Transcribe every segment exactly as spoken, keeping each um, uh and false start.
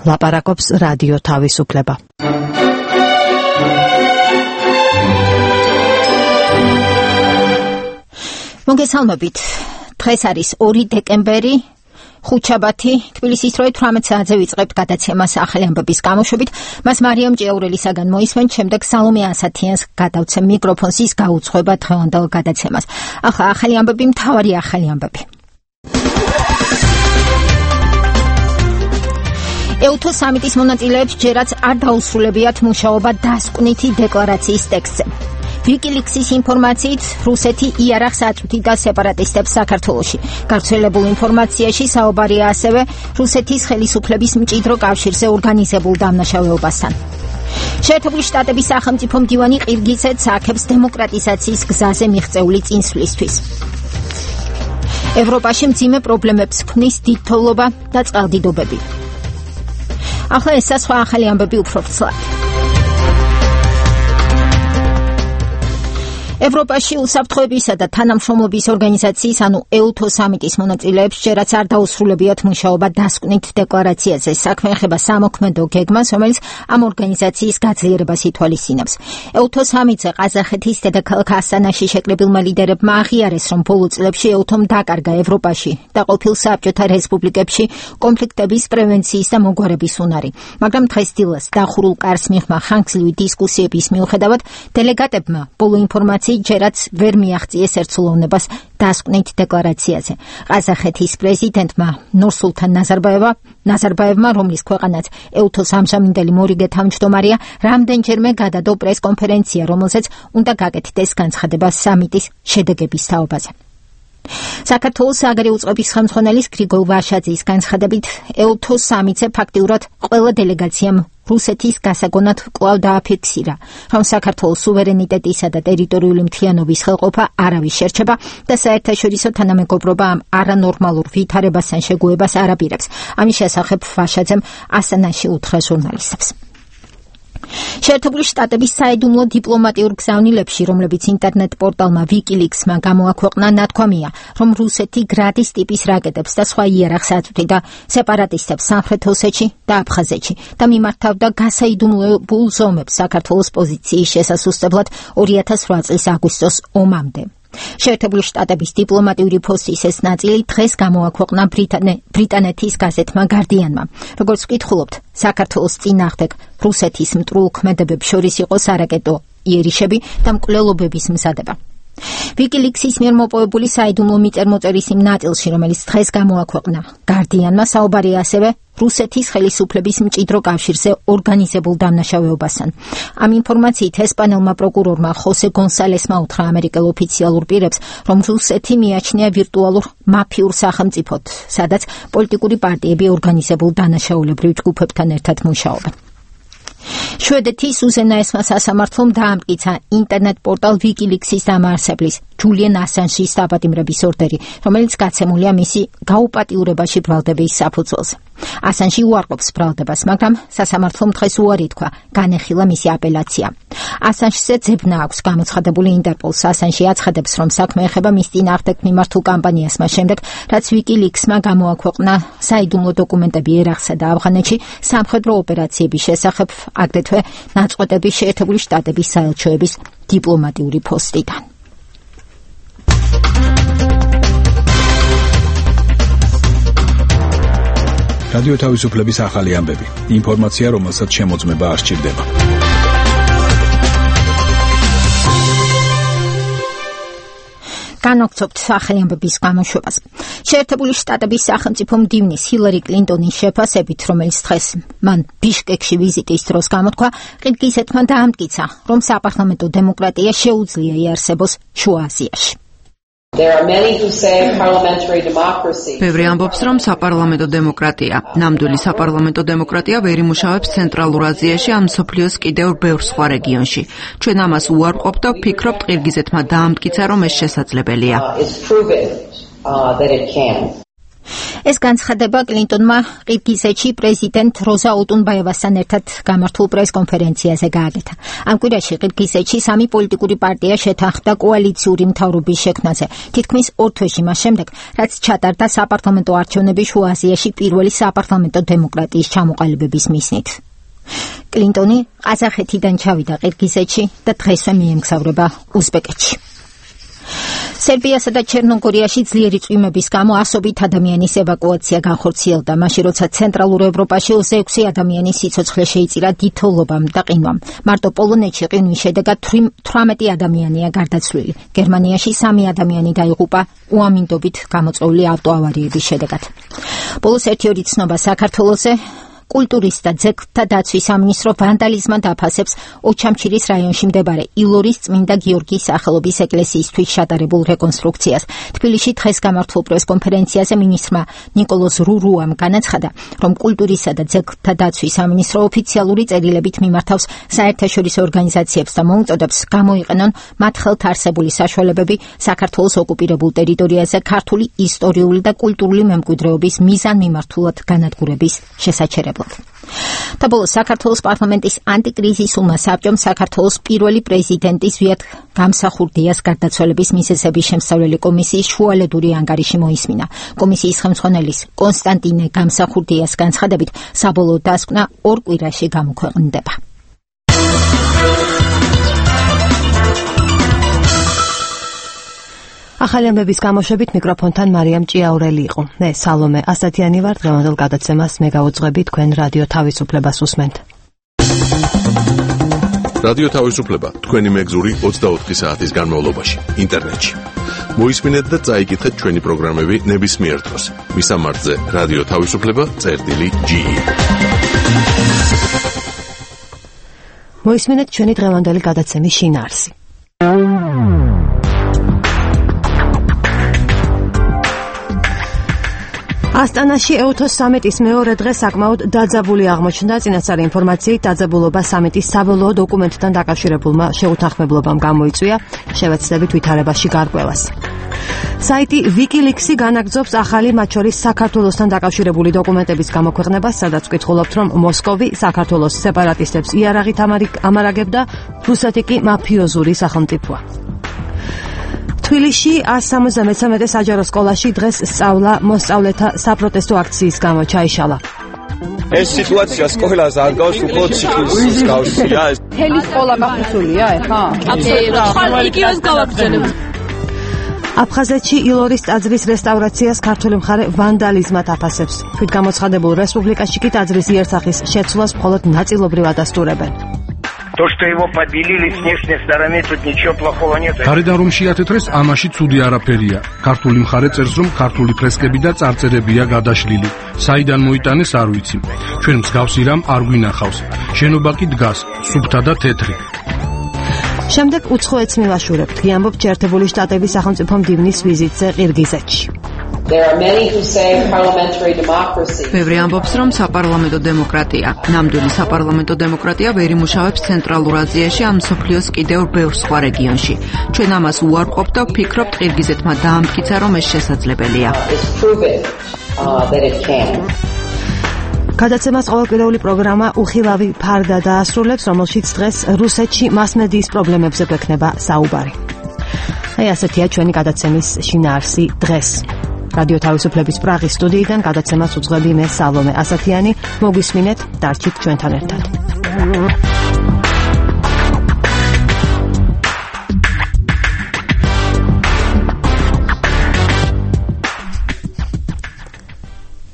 ლაპარაკობს რადიო თავისუფლება. მოგესალმებით. დღეს არის ორი დეკემბერი, ხუთშაბათი, თბილისის რვა თვრამეტ საათზე ვიწყებთ გადაცემას ახალი ამბების გამოშვებით. მას მარიამ ჭიაურელისაგან მოისმენთ, შემდეგ სალომე ასათიანს გადავცემ მიკროფონს, ის გაუძღვება დღევანდელ გადაცემას. ახლა ახალი ამბები, მთავარი ახალი ამბები. ეუთო სამიტის მონაწილეებს ჯერაც არ დაუსრულებიათ მუშაობა დასკვნითი დეკლარაციის ტექსტზე. ვიკილიქსის ინფორმაციით, რუსეთი იარაღს აწვდიდა სეპარატისტებს საქართველოში. გავრცელებულ ინფორმაციაში საუბარია ასევე რუსეთის ხელისუფლების მჭიდრო კავშირზე ორგანიზებულ დამნაშავეობასთან. შეერთებული შტატების სახელმწიფო მდივანი ყირგიზეთს აქებს დემოკრატიზაციის გზაზე მიღწეული წინსვლისთვის. ევროპაში მძიმე პრობლემებს ქმნის დიდთოვლობა და წყალდიდობები. ახლა ესა სხვა ახალი ამბები უფრო ვრცლად. ევროპაში უსაფრთხოებისა და თანამშრომლობის ორგანიზაციის, ანუ ეუთო სამიტის მონაწილეებს ჯერაც არ დაუსრულებიათ მუშაობა დასკვნით დეკლარაციაზე. საქმე ეხება სამოქმედო გეგმას, რომელიც ამ ორგანიზაციის გაძლიერებას ითვალისწინებს. ეუთო სამიტზე ყაზახეთის დედაქალაქ ასტანაში შეკრებილმა ლიდერებმა აღიარეს, რომ ბოლო წლებში ეუთომ დაკარგა ევროპაში და ყოფილ საბჭოთა რესპუბლიკებში კონფლიქტების პრევენციის და მოგვარების უნარი. მაგრამ დღეს დილას დახურულ კარს მიღმა ხანგრძლივი დისკუსიების მიუხედავად, დელეგატებმა ბოლო ინფორმაცია ჯერაც ვერ მიაღწიეს ერთსულოვნებას დასკვნით დეკლარაციაზე. ყაზახეთის პრეზიდენტმა ნურსულთან ნაზარბაევა, ნაზარბაევმა, რომლის ქვეყანაც ეუთოს ამჟამინდელი მორიგე თავმჯდომარეა, რამდენჯერმე გადადო პრესკონფერენცია, რომელზეც უნდა გაკეთდეს განცხადება სამიტის შედეგების თაობაზე. საქართველოს საგარეო უწყების ხელმძღვანელის გრიგოლ ვაშაძის განცხადებით, ეუთოს სამიტზე ფაქტიურად ყველა დელეგაციამ რუსეთის გასაგონად კვლავ დააფიქსირა, რომ საქართველოს სუვერენიტეტისა და ტერიტორიული მთლიანობის ხელყოფა არავის შერჩება და საერთაშორისო თანამეგობრობა ამ არანორმალურ ვითარებასთან შეგუებას არ აპირებს. ამის შესახებ ვაშაძემ ასტანაში უთხრა ჟურნალისტებს. შეერთებული შტატების საიდუმლო დიპლომატიურ გზავნილებში, რომლებიც ინტერნეტ პორტალმა ვიკილიქსმა გამოაქვეყნა, ნათქვამია, რომ რუსეთი გრადის ტიპის რაკეტებს და სხვა იარაღს აწვდიდა სეპარატისტებს სამხრეთ ოსეთში და აფხაზეთში და მიმართავდა გასაიდუმლოებულ ზომებს საქართველოს პოზიციის შესასუსტებლად ორი ათას რვა წლის აგვისტოს ომამდე. შეერთებული შტატების დიპლომატიური პოსტის ეს ნაწილი დღეს გამოაქვეყნა ბრიტანე, ბრიტანეთის გაზეთმა გარდიანმა. როგორც ვკითხულობთ, საქართველოს წინააღმდეგ რუსეთის მტრულ ქმედებებს შორის იყო სარაკეტო იერიშები და მკვლელობების მზადება. ვიკილიქსის მიერ მოპოვებული საიდუმლო მიწერ-მოწერის იმ ნაწილში, რომელიც დღეს გამოაქვეყნა გარდიანმა, საუბარია ასევე რუსეთის ხელისუფლების მჭიდრო კავშირზე ორგანიზებულ დამნაშავეობასთან. ამ ინფორმაციით ესპანელმა პროკურორმა ხოსე გონსალესმა უთხრა ამერიკელ ოფიციალურ პირებს, რომ რუსეთი მიაჩნია ვირტუალურ მაფიურ სახელმწიფოდ, სადაც პოლიტიკური პარტიები ორგანიზებულ დანაშაულებრივ ჯგუფებთან ერთად მუშაობენ. შვედეთის უზენაესმა სასამართლომ დაამტკიცა ინტერნეტ პორტალ ვიკილიქსის დამაარსებლის ჯულიენ ასანჟის დაპატიმრების ორდერი, რომელიც გაცემულია მისი გაუპატიურებაში ბრალდების საფუძველზე. ასანჟი უარყოფს ბრალდებას, მაგრამ სასამართლომ დღეს უარი თქვა, განეხილა მისი აპელაცია. ასანჟზე ძებნა აქვს გამოცხადებული ინტერპოლს. ასანჟი აცხადებს, რომ საქმე ეხება მის წინააღმდეგ მიმართულ კამპანიას მას შემდეგ, რაც ვიკილიქსმა გამოაქვეყნა საიდუმლო დოკუმენტები ერაყსა და ავღანეთში სამხედრო ოპერაციების შესახებ, აგრეთვე ნაწყვეტები შეერთებული შტატების საელჩოების დიპლომატიური პოსტიდან. რადიო თავისუფლების ახალი ამბები. ინფორმაცია, რომელსაც შემოწმება არ სჭირდება. განვაგრძობთ ახალი ამბების გამოშვებას. შეერთებული შტატების სახელმწიფო მდივნის ჰილარი კლინტონის შეფასებით, რომელიც დღეს მან ბიშკეკში ვიზიტის დროს გამოთქვა, ყირგიზეთმა დაამტკიცა, რომ საპარლამენტო დემოკრატია შეუძლია იარსებოს შუა აზიაში. ბევრი ამბობს, რომ საპარლამენტო დემოკრატია. ნამდვილი საპარლამენტო დემოკრატია ვერ იმუშავებს ცენტრალურ აზიაში ან მსოფლიოს კიდევ ბევრ სხვა რეგიონში. ჩვენ ამას უარყოფთ და ვფიქრობთ, ყირგიზეთმა დაამტკიცა, რომ ეს შესაძლებელია. ეს განცხადება კლინტონმა ყირგიზეთში პრეზიდენტ როზა ოტუნბაევასთან ერთად გამართულ პრესკონფერენციაზე გააკეთა. ამ კვირაში ყირგიზეთში სამი პოლიტიკური პარტია შეთანხმდა კოალიციური მთავრობის შექმნაზე, თითქმის ორ თვეში მას შემდეგ, რაც ჩატარდა საპარლამენტო არჩევნები შუა აზიაში პირველი საპარლამენტო დემოკრატიის ჩამოყალიბების მიზნით. კლინტონი ყაზახეთიდან ჩავიდა ყირგიზეთში და დღესვე მიემგზავრება უზბეკეთში. სერბიასა და ჩერნოგორიაში ძლიერი წვიმების გამო ასობით ადამიანის ევაკუაცია განხორციელდა, მაშინ როცა ცენტრალურ ევროპაში ოცდაექვსი ადამიანის სიცოცხლე შეიწირა დიდთოვლობამ და ყინვამ. მარტო პოლონეთში ყინვის შედეგად თვრამეტი ადამიანია გარდაცვლილი. გერმანიაში სამი ადამიანი დაიღუპა უამინდობით გამოწვეული ავტოავარიების შედეგად. ბოლოს ერთი ორი ცნობა საქართველოზე. კულტურის და ძეგლთა დაცვის სამინისტრო ვანდალიზმად აფასებს ოჩამჩირის რაიონში მდებარე ილორის წმინდა გიორგის სახელობის ეკლესიისთვის შეტარებულ რეკონსტრუქციას. თბილისში დღეს გამართულ პრესკონფერენციაზე მინისტრმა ნიკოლოზ რურუამ განაცხადა, რომ კულტურისა და ძეგლთა დაცვის სამინისტრო ოფიციალური წერილებით მიმართავს საერთაშორისო ორგანიზაციებს და მოუწოდებს გამოიყენონ მათ ხელთ არსებული საშუალებები საქართველოს ოკუპირებულ ტერიტორიაზე ქართული ისტორიული და კულტურული მემკვიდრეობის მიზანმიმართულად განადგურების შესაჩერებლად. და ბოლოს საქართველოს პარლამენტის ანტიკრიზისულმა საბჭომ საქართველოს პირველი პრეზიდენტის ვიად გამსახურდიას გარდაცვალების მიზეზების შემსწავლელი კომისიის შუალედური ანგარიში მოისმინა. კომისიის ხელმძღვანელის კონსტანტინე გამსახურდიას განცხადებით, საბოლოო დასკვნა ორ კვირაში გამოქვეყნდება. ახალი ამბების გამოშვებით მიკროფონთან მარიამ ჭიაურელი იყო. მე სალომე ასათიანი ვარ, დღევანდელ გადაცემას მე გავუძღვები, თქვენ რადიო თავისუფლებას უსმენთ. რადიო თავისუფლება თქვენი მეგზური ოცდაოთხი საათის განმავლობაში ინტერნეტში. მოისმინეთ და წაიკითხეთ ჩვენი პროგრამები ნებისმიერ დროს. მისამართზე რადიო თავისუფლება წერტილი ჯი. მოისმინეთ ჩვენი დღევანდელი გადაცემის შინაარსი. ასტანაში ეუთოს სამიტის მეორე დღე საკმაოდ დაძაბული აღმოჩნდა. წინასწარი ინფორმაციით დაძაბულობა სამიტის საბოლოო დოკუმენტთან დაკავშირებულმა შეუთანხმებლობამ გამოიწვია, შევეცდებით ვითარებაში გარკვევას. საიტი WikiLeaks-ი განაგრძობს ახალი, მათ შორის საქართველოსთან დაკავშირებული დოკუმენტების გამოქვეყნებას, სადაც ვკითხულობთ, რომ მოსკოვი საქართველოს სეპარატისტებს იარაღით ამარაგებდა, რუსეთი კი მაფიოზური სახელმწიფოა. თბილისში ას სამოცდამეცამეტე საჯარო სკოლაში დღეს სწავლა მოსწავლეთა საპროტესტო აქციის გამო ჩაიშალა. ეს სიტუაცია სკოლას არ გავს, უბრალოდ სიტუაციას გავსია. მთელი სკოლა გახსულია, ეხა? აბსოლუტურად. იგივეს გავაგრძელებთ. აფხაზეთში ილორის ტაძრის რესტავრაციას ქართული მხარე ვანდალიზმად აფასებს. თვით გამოცხადებულ რესპუბლიკაში კი ტაძრის იერსახის შეცვლას მხოლოდ ნაწილობრივ ადასტურებენ. То, что его поделили с внешней стороны, тут ничего плохого нет. გარედან რომ შეათეთრეს, ამაში ცუდი არაფერია. ქართული მხარე წერს, რომ ქართული ფრესკები და წარწერებია გადაშლილი. საიდან მოიტანეს არ ვიცი. ჩვენ მსგავსი რამ არ გვინახავს. შენობა კი დგას, სუფთა და თეთრი. შემდეგ უცხო ეც მივაშურებთ, გიამბობთ შეერთებული შტატების სახელმწიფო მდივნის ვიზიტზე ყირგიზეთში. ბევრი ამბობს, რომ საპარლამენტო დემოკრატია. ნამდვილი საპარლამენტო დემოკრატია ვერ იმუშავებს ცენტრალურ აზიაში ან მსოფლიოს კიდევ ბევრ სხვა რეგიონში. ჩვენ ამას უარყოფთ და ვფიქრობთ, ყირგიზეთმა დაამტკიცა, რომ ეს შესაძლებელია. გადაცემას ყოველკვირეული პროგრამა უხილავი ფარდა დაასრულებს, რომელშიც დღეს რუსეთში მასმედიის პრობლემებზე გვექნება საუბარი. აი ასეთია ჩვენი გადაცემის შინაარსი დღეს. რადიო თავისუფლების პრაღის სტუდიიდან გადაცემას უძღვები მე სალომე ასათიანი. მოგვისმინეთ, დარჩით ჩვენთან ერთად.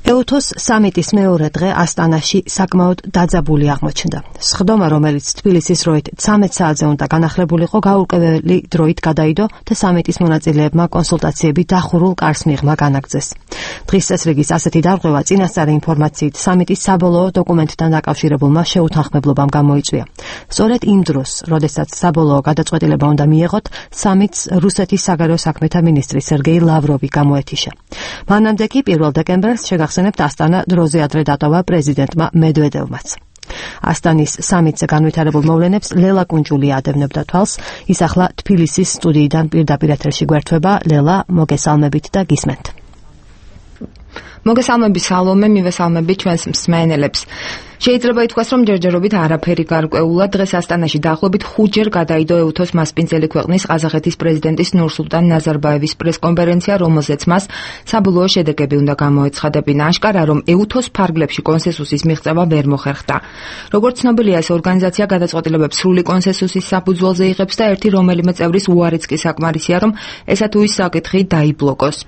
ეუთოს სამიტის მეორე დღე ასტანაში საკმაოდ დაძაბული აღმოჩნდა. სხდომა, რომელიც თბილისის დროით ცამეტ საათზე უნდა განახლებულიყო, გაურკვეველი დროით გადაიდო და სამიტის მონაწილეებმა კონსულტაციები დახურულ კარს მიღმა განაგრძეს. დღის წესრიგის ასეთი დარღვევა წინასწარი ინფორმაციით სამიტის საბოლოო დოკუმენტთან დაკავშირებულმა შეუთანხმებლობამ გამოიწვია. სწორედ იმ დროს, როდესაც საბოლოო გადაწყვეტილება უნდა მიეღოთ, სამიტს რუსეთის საგარეო საქმეთა მინისტრი სერგეი ლავროვი გამოეთიშა. მანამდე კი პირველ დეკემბერს შეგახსენებთ, ასტანა დროზე ადრე დატოვა პრეზიდენტმა მედვედევმაც. ასტანის სამიტზე განვითარებულ მოვლენებს ლელა კუნჯული ადევნებდა თვალს. ის ახლა თბილისის სტუდიიდან პირდაპირ ეთერში გვერდება. ლელა, მოგესალმებით და გისმენთ. მოგესალმები სალომე, მივესალმები ჩვენს მსმენელებს. შეიძლება ითქვას, რომ ჯერჯერობით არაფერი გარკვეულა დღეს ასტანაში დაახლოებით ხუთჯერ გადაიდო ეუთოს მასპინძელი ქვეყნის ყაზახეთის პრეზიდენტის ნურსულტან ნაზარბაევის პრესკონფერენცია, რომელზეც მას საბოლოო შედეგები უნდა გამოეცხადებინა. აშკარა, რომ ეუთოს ფარგლებში კონსენსუსის მიღწევა ვერ მოხერხდა. როგორც ცნობილია, ეს ორგანიზაცია გადაწყვეტილებებს სრული კონსენსუსის საფუძველზე იღებს და ერთი რომელიმე წევრის უარიც კი საკმარისია, რომ ესა თუ ის საკითხი დაიბლოკოს.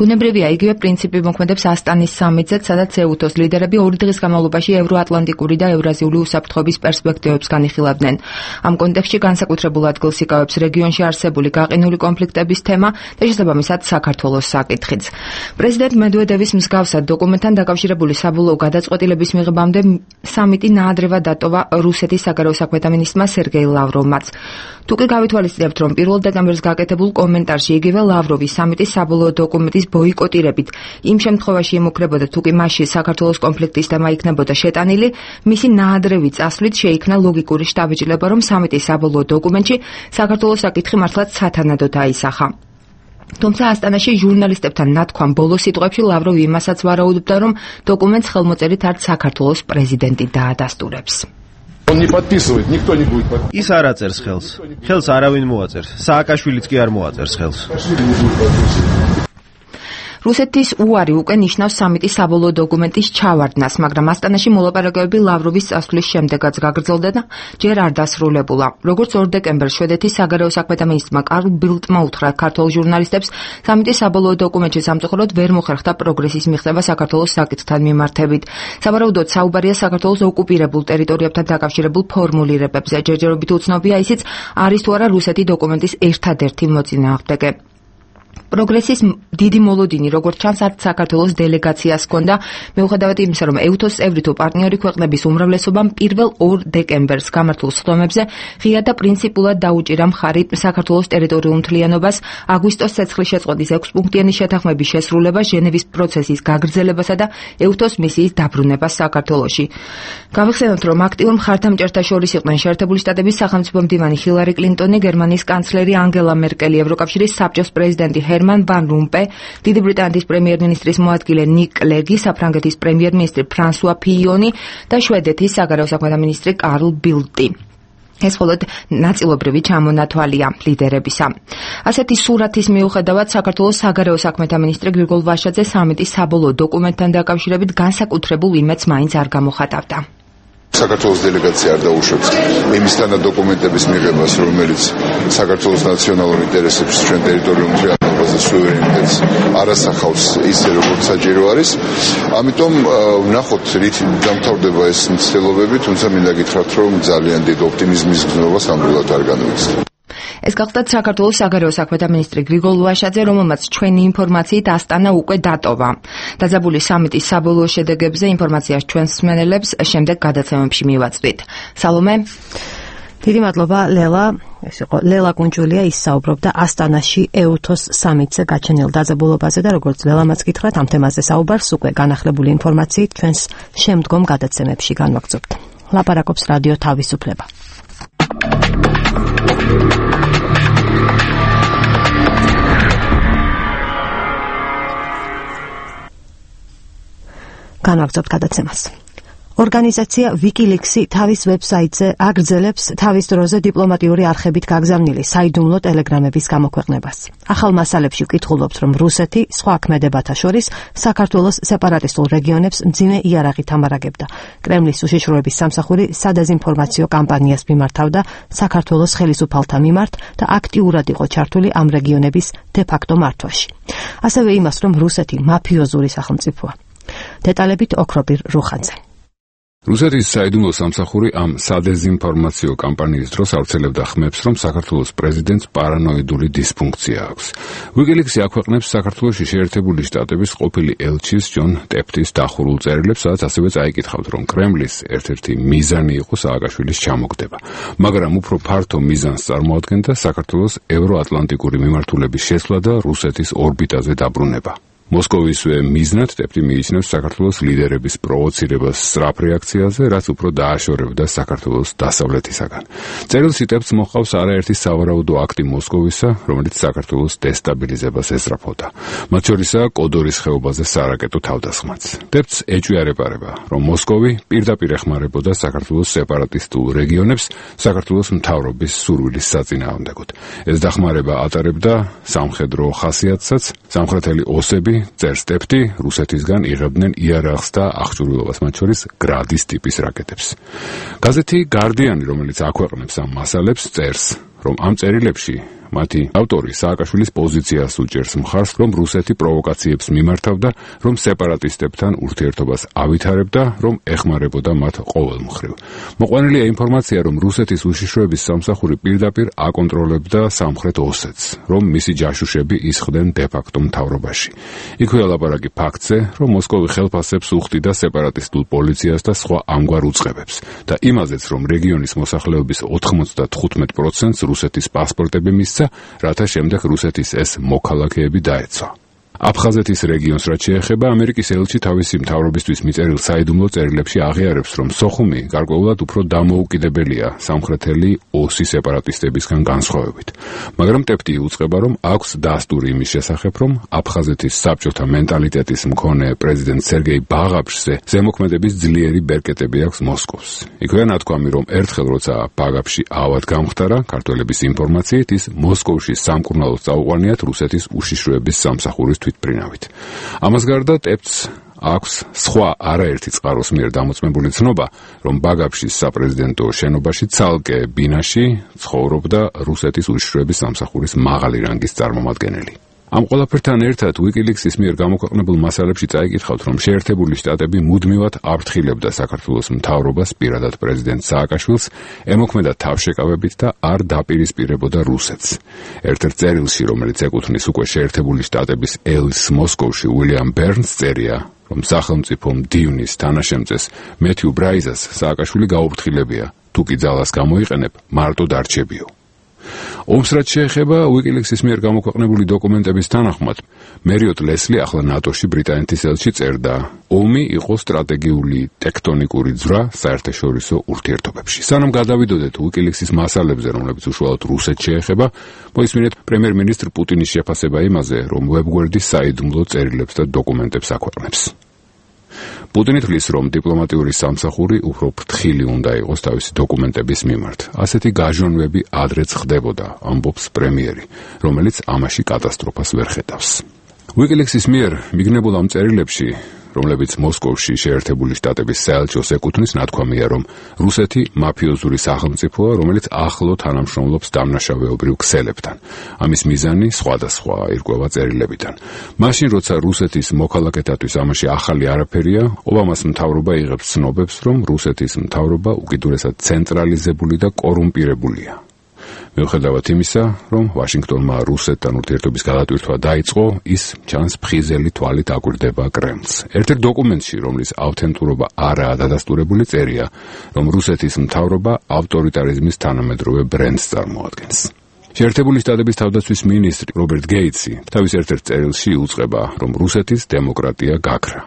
ბუნებრივია, იგივე პრინციპი მოქმედებს ასტანის სამიტზეც, სადაც ეუთოს ლიდერები ორი დღის განმავლობაში ევროატლანტიკური და ევრაზიული უსაფრთხოების პერსპექტივებს განიხილავდნენ. ამ კონტექსტში განსაკუთრებულ ადგილს იკავებს რეგიონში არსებული გაყინული კონფლიქტების თემა და შესაბამისად საქართველოს საკითხიც. პრეზიდენტ მედვედევის მსგავსად დოკუმენტთან დაკავშირებული საბოლოო გადაწყვეტილების მიღებამდე სამიტი ნაადრევად დატოვა რუსეთის საგარეო საქმეთა მინისტრმა სერგეი ლავროვმაც. თუკი გავითვალისწინებთ, რომ პირველ დეკემბერს გაკეთებულ კომენტარში იგივე ლავროვი სამიტის საბოლოო დოკუმენტის ბოიკოტირებით იმ შემთხვევაში იმუქრებოდა, თუკი მასში საქართველოს კონფლიქტის თემა იქნებოდა შეტანილი, მისი ნაადრევი წასვლით შეიქმნა ლოგიკური შთაბეჭდილება, რომ სამიტის საბოლოო დოკუმენტში საქართველოს საკითხი მართლაც სათანადოდ აისახა. თუმცა ასტანაში ჟურნალისტებთან ნათქვამ ბოლო სიტყვებში ლავროვი იმასაც ვარაუდობდა, რომ დოკუმენტს ხელმოწერით არც საქართველოს პრეზიდენტი დაადასტურებს. Он не подписывает, никто не будет подписывать. ის არ აწერს ხელს. ხელს არავინ მოაწერს. სააკაშვილიც კი არ მოაწერს ხელს. რუსეთის უარი უკვე ნიშნავს სამიტის საბოლოო დოკუმენტის ჩავარდნას, მაგრამ ასტანაში მოლაპარაკებები ლავროვის წასვლის შემდეგაც გაგრძელდა და ჯერ არ დასრულებულა. როგორც ორ დეკემბერს შვედეთის საგარეო საქმეთა მინისტრმა კარლ ბილდტმა უთხრა ქართველ ჟურნალისტებს, სამიტის საბოლოო დოკუმენტში სამწუხაროდ ვერ მოხერხდა პროგრესის მიღწევა საქართველოს საკითხთან მიმართებით. სავარაუდოდ საუბარია საქართველოს ოკუპირებულ ტერიტორიებთან დაკავშირებულ ფორმულირებებზე. ჯერჯერობით უცნობია ისიც, არის თუ არა რუსეთი დოკუმენტის ერთადერთი მოწინააღმდეგე. პროგრესის დიდი მოლოდინი, როგორც ჩანს, არც საქართველოს დელეგაციას ჰქონდა, მიუხედავად იმისა, რომ ეუთოს წევრი თუ პარტნიორი ქვეყნების უმრავლესობამ პირველ ორ დეკემბერს გამართულ სხდომებზე ღია და პრინციპულად დაუჭირა მხარი საქართველოს ტერიტორიულ მთლიანობას, აგვისტოს ცეცხლის შეწყვეტის ექვსპუნქტიანი შეთანხმების შესრულებას, ჟენევის პროცესის გაგრძელებასა და ეუთოს მისიის დაბრუნებას საქართველოში. გავიხსენოთ, რომ აქტიურ მხარდამჭერთა შორის იყვნენ შეერთებული შტატების სახელმწიფო მდივანი ჰილარი კლინტონი, გერმანიის კანცლერი ანგელა მერკელი, ევროკავშირის საბჭოს პრეზიდენტი ჰერმან ვან რომპე, დიდი ბრიტანეთის პრემიერ-მინისტრის მოადგილე ნიკ ლეგი, საფრანგეთის პრემიერ-მინისტრი ფრანსუა ფიიონი და შვედეთის საგარეო საქმეთა მინისტრი კარლ ბილდტი. ეს მხოლოდ ნაწილობრივი ჩამონათვალია ლიდერებისა. ასეთი სურათის მიუხედავად, საქართველოს საგარეო საქმეთა მინისტრი გრიგოლ ვაშაძე სამიტის საბოლოო დოკუმენტთან დაკავშირებით განსაკუთრებულ იმედს მაინც არ გამოხატავდა. საქართველოს დელეგაცია არ დაუშვებს იმისთანა დოკუმენტების მიღებას, რომელიც საქართველოს ნაციონალურ ინტერესებს, ჩვენ ტერიტორიულ მთლიანობას და სუვერენიტეტს არასახავს ისე, როგორც საჭირო არის. ამიტომ ვნახოთ, რით დამთავრდება ეს მცდელობები, თუმცა მინდა გითხრათ, რომ ძალიან დიდ ოპტიმიზმის გზნობას ამბულად არ განვიცდით. ეს გახლდათ საქართველოს საგარეო საქმეთა მინისტრი გრიგოლ ვაშაძე, რომელმაც ჩვენი ინფორმაციით ასტანა უკვე დატოვა. დაძაბული სამიტის საბოლოო შედეგებზე ინფორმაციას ჩვენს მსმენელებს შემდეგ გადაცემებში მივაწვდით. სალომე. დიდი მადლობა ლელა. ეს იყო ლელა კუნჯულია, ის საუბრობდა ასტანაში ეუთოს სამიტზე გაჩენილ დაძაბულობაზე და როგორც ლელამაც გითხრათ, ამ თემაზე საუბარს უკვე განახლებული ინფორმაციით ჩვენს შემდგომ გადაცემებში განვაგრძობთ. ლაპარაკობს რადიო თავისუფლება. განვაგრძობთ გადაცემას. ორგანიზაცია WikiLeaks-ი თავის ვებსაიტზე აგრძელებს თავის დროზე დიპლომატიური არხებით გაგზავნილი საიდუმლო ტელეგრამების გამოქვეყნებას. ახალ მასალებში ვკითხულობთ, რომ რუსეთი სხვა ქმედებათა შორის საქართველოს სეპარატისტულ რეგიონებს მძიმე იარაღით ამარაგებდა. კრემლის უშიშროების სამსახური სადეზინფორმაციო კამპანიას მიმართავდა საქართველოს ხელისუფალთა მიმართ და აქტიურად იყო ჩართული ამ რეგიონების დე-ფაქტო მართვაში. ასევე იმას, რომ რუსეთი მაფიოზური სახელმწიფოა. დეტალებით ოქრობირ რუხაძე. რუსეთის საიდუმლო სამსახური ამ სადეზინფორმაციო კამპანიის დროს ავრცელებდა ხმებს, რომ საქართველოს პრეზიდენტს პარანოიდული დისფუნქცია აქვს. WikiLeaks-ი აქვეყნებს საქართველოში შეერთებული შტატების ყოფილი ელჩის ჯონ ტეფტის დახურულ წერილებს, სადაც ასევე წაიკითხავთ, რომ კრემლის ერთ-ერთი მიზანი იყო სააკაშვილის ჩამოგდება, მაგრამ უფრო ფართო მიზანს წარმოადგენდა საქართველოს ევროატლანტიკური მიმართულების შესვლა და რუსეთის ორბიტაზე დაბრუნება. მოსკოვისვე მიზნად ტეპტი მიიჩნევს საქართველოს ლიდერების პროვოცირებას სწრაფ რეაქციაზე, რაც უფრო დააშორებდა საქართველოს დასავლეთისაგან. წერილში ტეპტს მოჰყავს არაერთი სავარაუდო აქტი მოსკოვისა, რომელიც საქართველოს დესტაბილიზებას ესწრაფოდა. მათ შორისაა კოდორის ხეობაზე სარაკეტო თავდასხმაც. ტეპტს ეჭვიარეპარება, რომ მოსკოვი პირდაპირ ეხმარებოდა საქართველოს სეპარატისტულ რეგიონებს საქართველოს მთავრობის სურვილის საწინააღმდეგოდ. ეს დახმარება ატარებდა სამხედრო ხასიათსაც, სამხრეთელი ოსები წერს ტეპტი რუსეთისგან იღებდნენ იარაღს და აღჭურვილობას, მათ შორის გრადის ტიპის რაკეტებს. გაზეთი გარდიანი, რომელიც აქვეყნებს ამ მასალებს, წერს, რომ ამ წერილებში მათი ავტორი სააკაშვილის პოზიციას უჭერს მხარს, რომ რუსეთი პროვოკაციებს მიმართავდა, რომ სეპარატისტებთან ურთიერთობას ავითარებდა, რომ ეხმარებოდა მათ ყოველ მხრივ. მოყვანილია ინფორმაცია, რომ რუსეთის უშიშროების სამსახური პირდაპირ აკონტროლებდა სამხრეთ ოსეთს, რომ მისი ჯაშუშები ისხდნენ დე-ფაქტო მთავრობაში. იქვეა ლაპარაკი ფაქტზე, რომ მოსკოვი ხელფასებს უხდიდა სეპარატისტულ პოლიციას და სხვა ამგვარ უწყებებს და იმაზეც, რომ რეგიონის მოსახლეობის ოთხმოცდათხუთმეტ პროცენტს რუსეთის პასპორტები მისცა, რათა შემდეგ რუსეთის ეს მოქალაქეები დაეცვა. აფხაზეთის რეგიონს რაც შეეხება, ამერიკის ელჩი თავისი მთავრობისთვის მიწერილ საიდუმლო წერილებში აღიარებს, რომ სოხუმი გარკვეულად უფრო დამოუკიდებელია სამხრეთელი ოსი სეპარატისტებისგან განსხვავებით. მაგრამ ტეპტი იუწყება, რომ აქვს დასტური იმის შესახებ, რომ აფხაზეთის საბჭოთა მენტალიტეტის მქონე პრეზიდენტ სერგეი ბაღაფშზე ზემოქმედების ძლიერი ბერკეტები აქვს მოსკოვს. იქვეა ნათქვამი, რომ ერთხელ როცა ბაღაფში ავად გამხდარა, ქართველების ინფორმაციით ის მოსკოვში სამკურნალოდ წაუყვანიათ რუსეთის უშიშროების სამსახურის თვითმფრინავით. ამას გარდა ტეპტს აქვს სხვა არაერთი წყაროს მიერ დამოწმებული ცნობა, რომ ბაგაფშის საპრეზიდენტო შენობაში ცალკე ბინაში ცხოვრობდა რუსეთის უშიშროების სამსახურის მაღალი რანგის წარმომადგენელი. ამ ყველაფერთან ერთად WikiLeaks-ის მიერ გამოქვეყნებულ მასალებში წაიკითხავთ, რომ შეერთებული შტატები მუდმივად აფრთხილებდა საქართველოს მთავრობას, პირადად პრეზიდენტ სააკაშვილს, ემოქმედა თავშეკავებით და არ დაპირისპირებოდა რუსეთს. ერთ-ერთ წერილში, რომელიც ეკუთვნის უკვე შეერთებული შტატების ელს მოსკოვში, უილიამ ბერნს წერია, რომ სახელმწიფო მდივნის თანაშემწეს მეთიუ ბრაიზას სააკაშვილი გაუფრთხილებია, თუ კი ძალას გამოიყენებ, მარტო დარჩებიო. ომს რაც შეეხება WikiLeaks-ის მიერ გამოქვეყნებული დოკუმენტების თანახმად, მერიოტ ლესლი ახლა ნატოში ბრიტანეთის ელჩი წერდა, ომი იყო სტრატეგიული ტექტონიკური ძვრა საერთაშორისო ურთიერთობებში. სანამ გადავიდოდეთ WikiLeaks-ის მასალებზე, რომლებიც უშუალოდ რუსეთს შეეხება, მოისმინეთ პრემიერ-მინისტრ პუტინის შეფასება იმაზე, რომ ვებგვერდი საიდუმლო წერილებს და დოკუმენტებს აქვეყნებს. პუტინი თვლის, რომ დიპლომატიური სამსახური უფრო ფრთხილი უნდა იყოს თავისი დოკუმენტების მიმართ. ასეთი გაჟონვები ადრეც ხდებოდა, ამბობს პრემიერი, რომელიც ამაში კატასტროფას ვერ ხედავს. WikiLeaks-ის მიერ მიგნებულ ამ წერილებში, რომლებიც მოსკოვში შეერთებული შტატების საელჩოს ეკუთვნის, ნათქვამია, რომ რუსეთი მაფიოზური სახელმწიფოა, რომელიც ახლო თანამშრომლობს დამნაშავეობრივ ქსელებთან. ამის მიზანი სხვადასხვა ირკვევა წერილებიდან. მაშინ, როცა რუსეთის მოქალაქეთათვის ამაში ახალი არაფერია, ობამას მთავრობა იღებს ცნობებს, რომ რუსეთის მთავრობა უკიდურესად ცენტრალიზებული და კორუმპირებულია. მიუხედავად იმისა, რომ ვაშინგტონმა რუსეთთან ურთიერთობის გადატვირთვა დაიწყო, ის ჩანს ფხიზელი თვალით აკვირდება კრემლს. ერთ-ერთ დოკუმენტში, რომლის ავთენტურობა არაა დადასტურებული, წერია, რომ რუსეთის მთავრობა ავტორიტარიზმის თანამედროვე ბრენდს წარმოადგენს. შეერთებული შტატების თავდაცვის მინისტრი რობერტ გეიტსი თავის ერთ-ერთ წერილში იუწყება, რომ რუსეთის დემოკრატია გაქრა.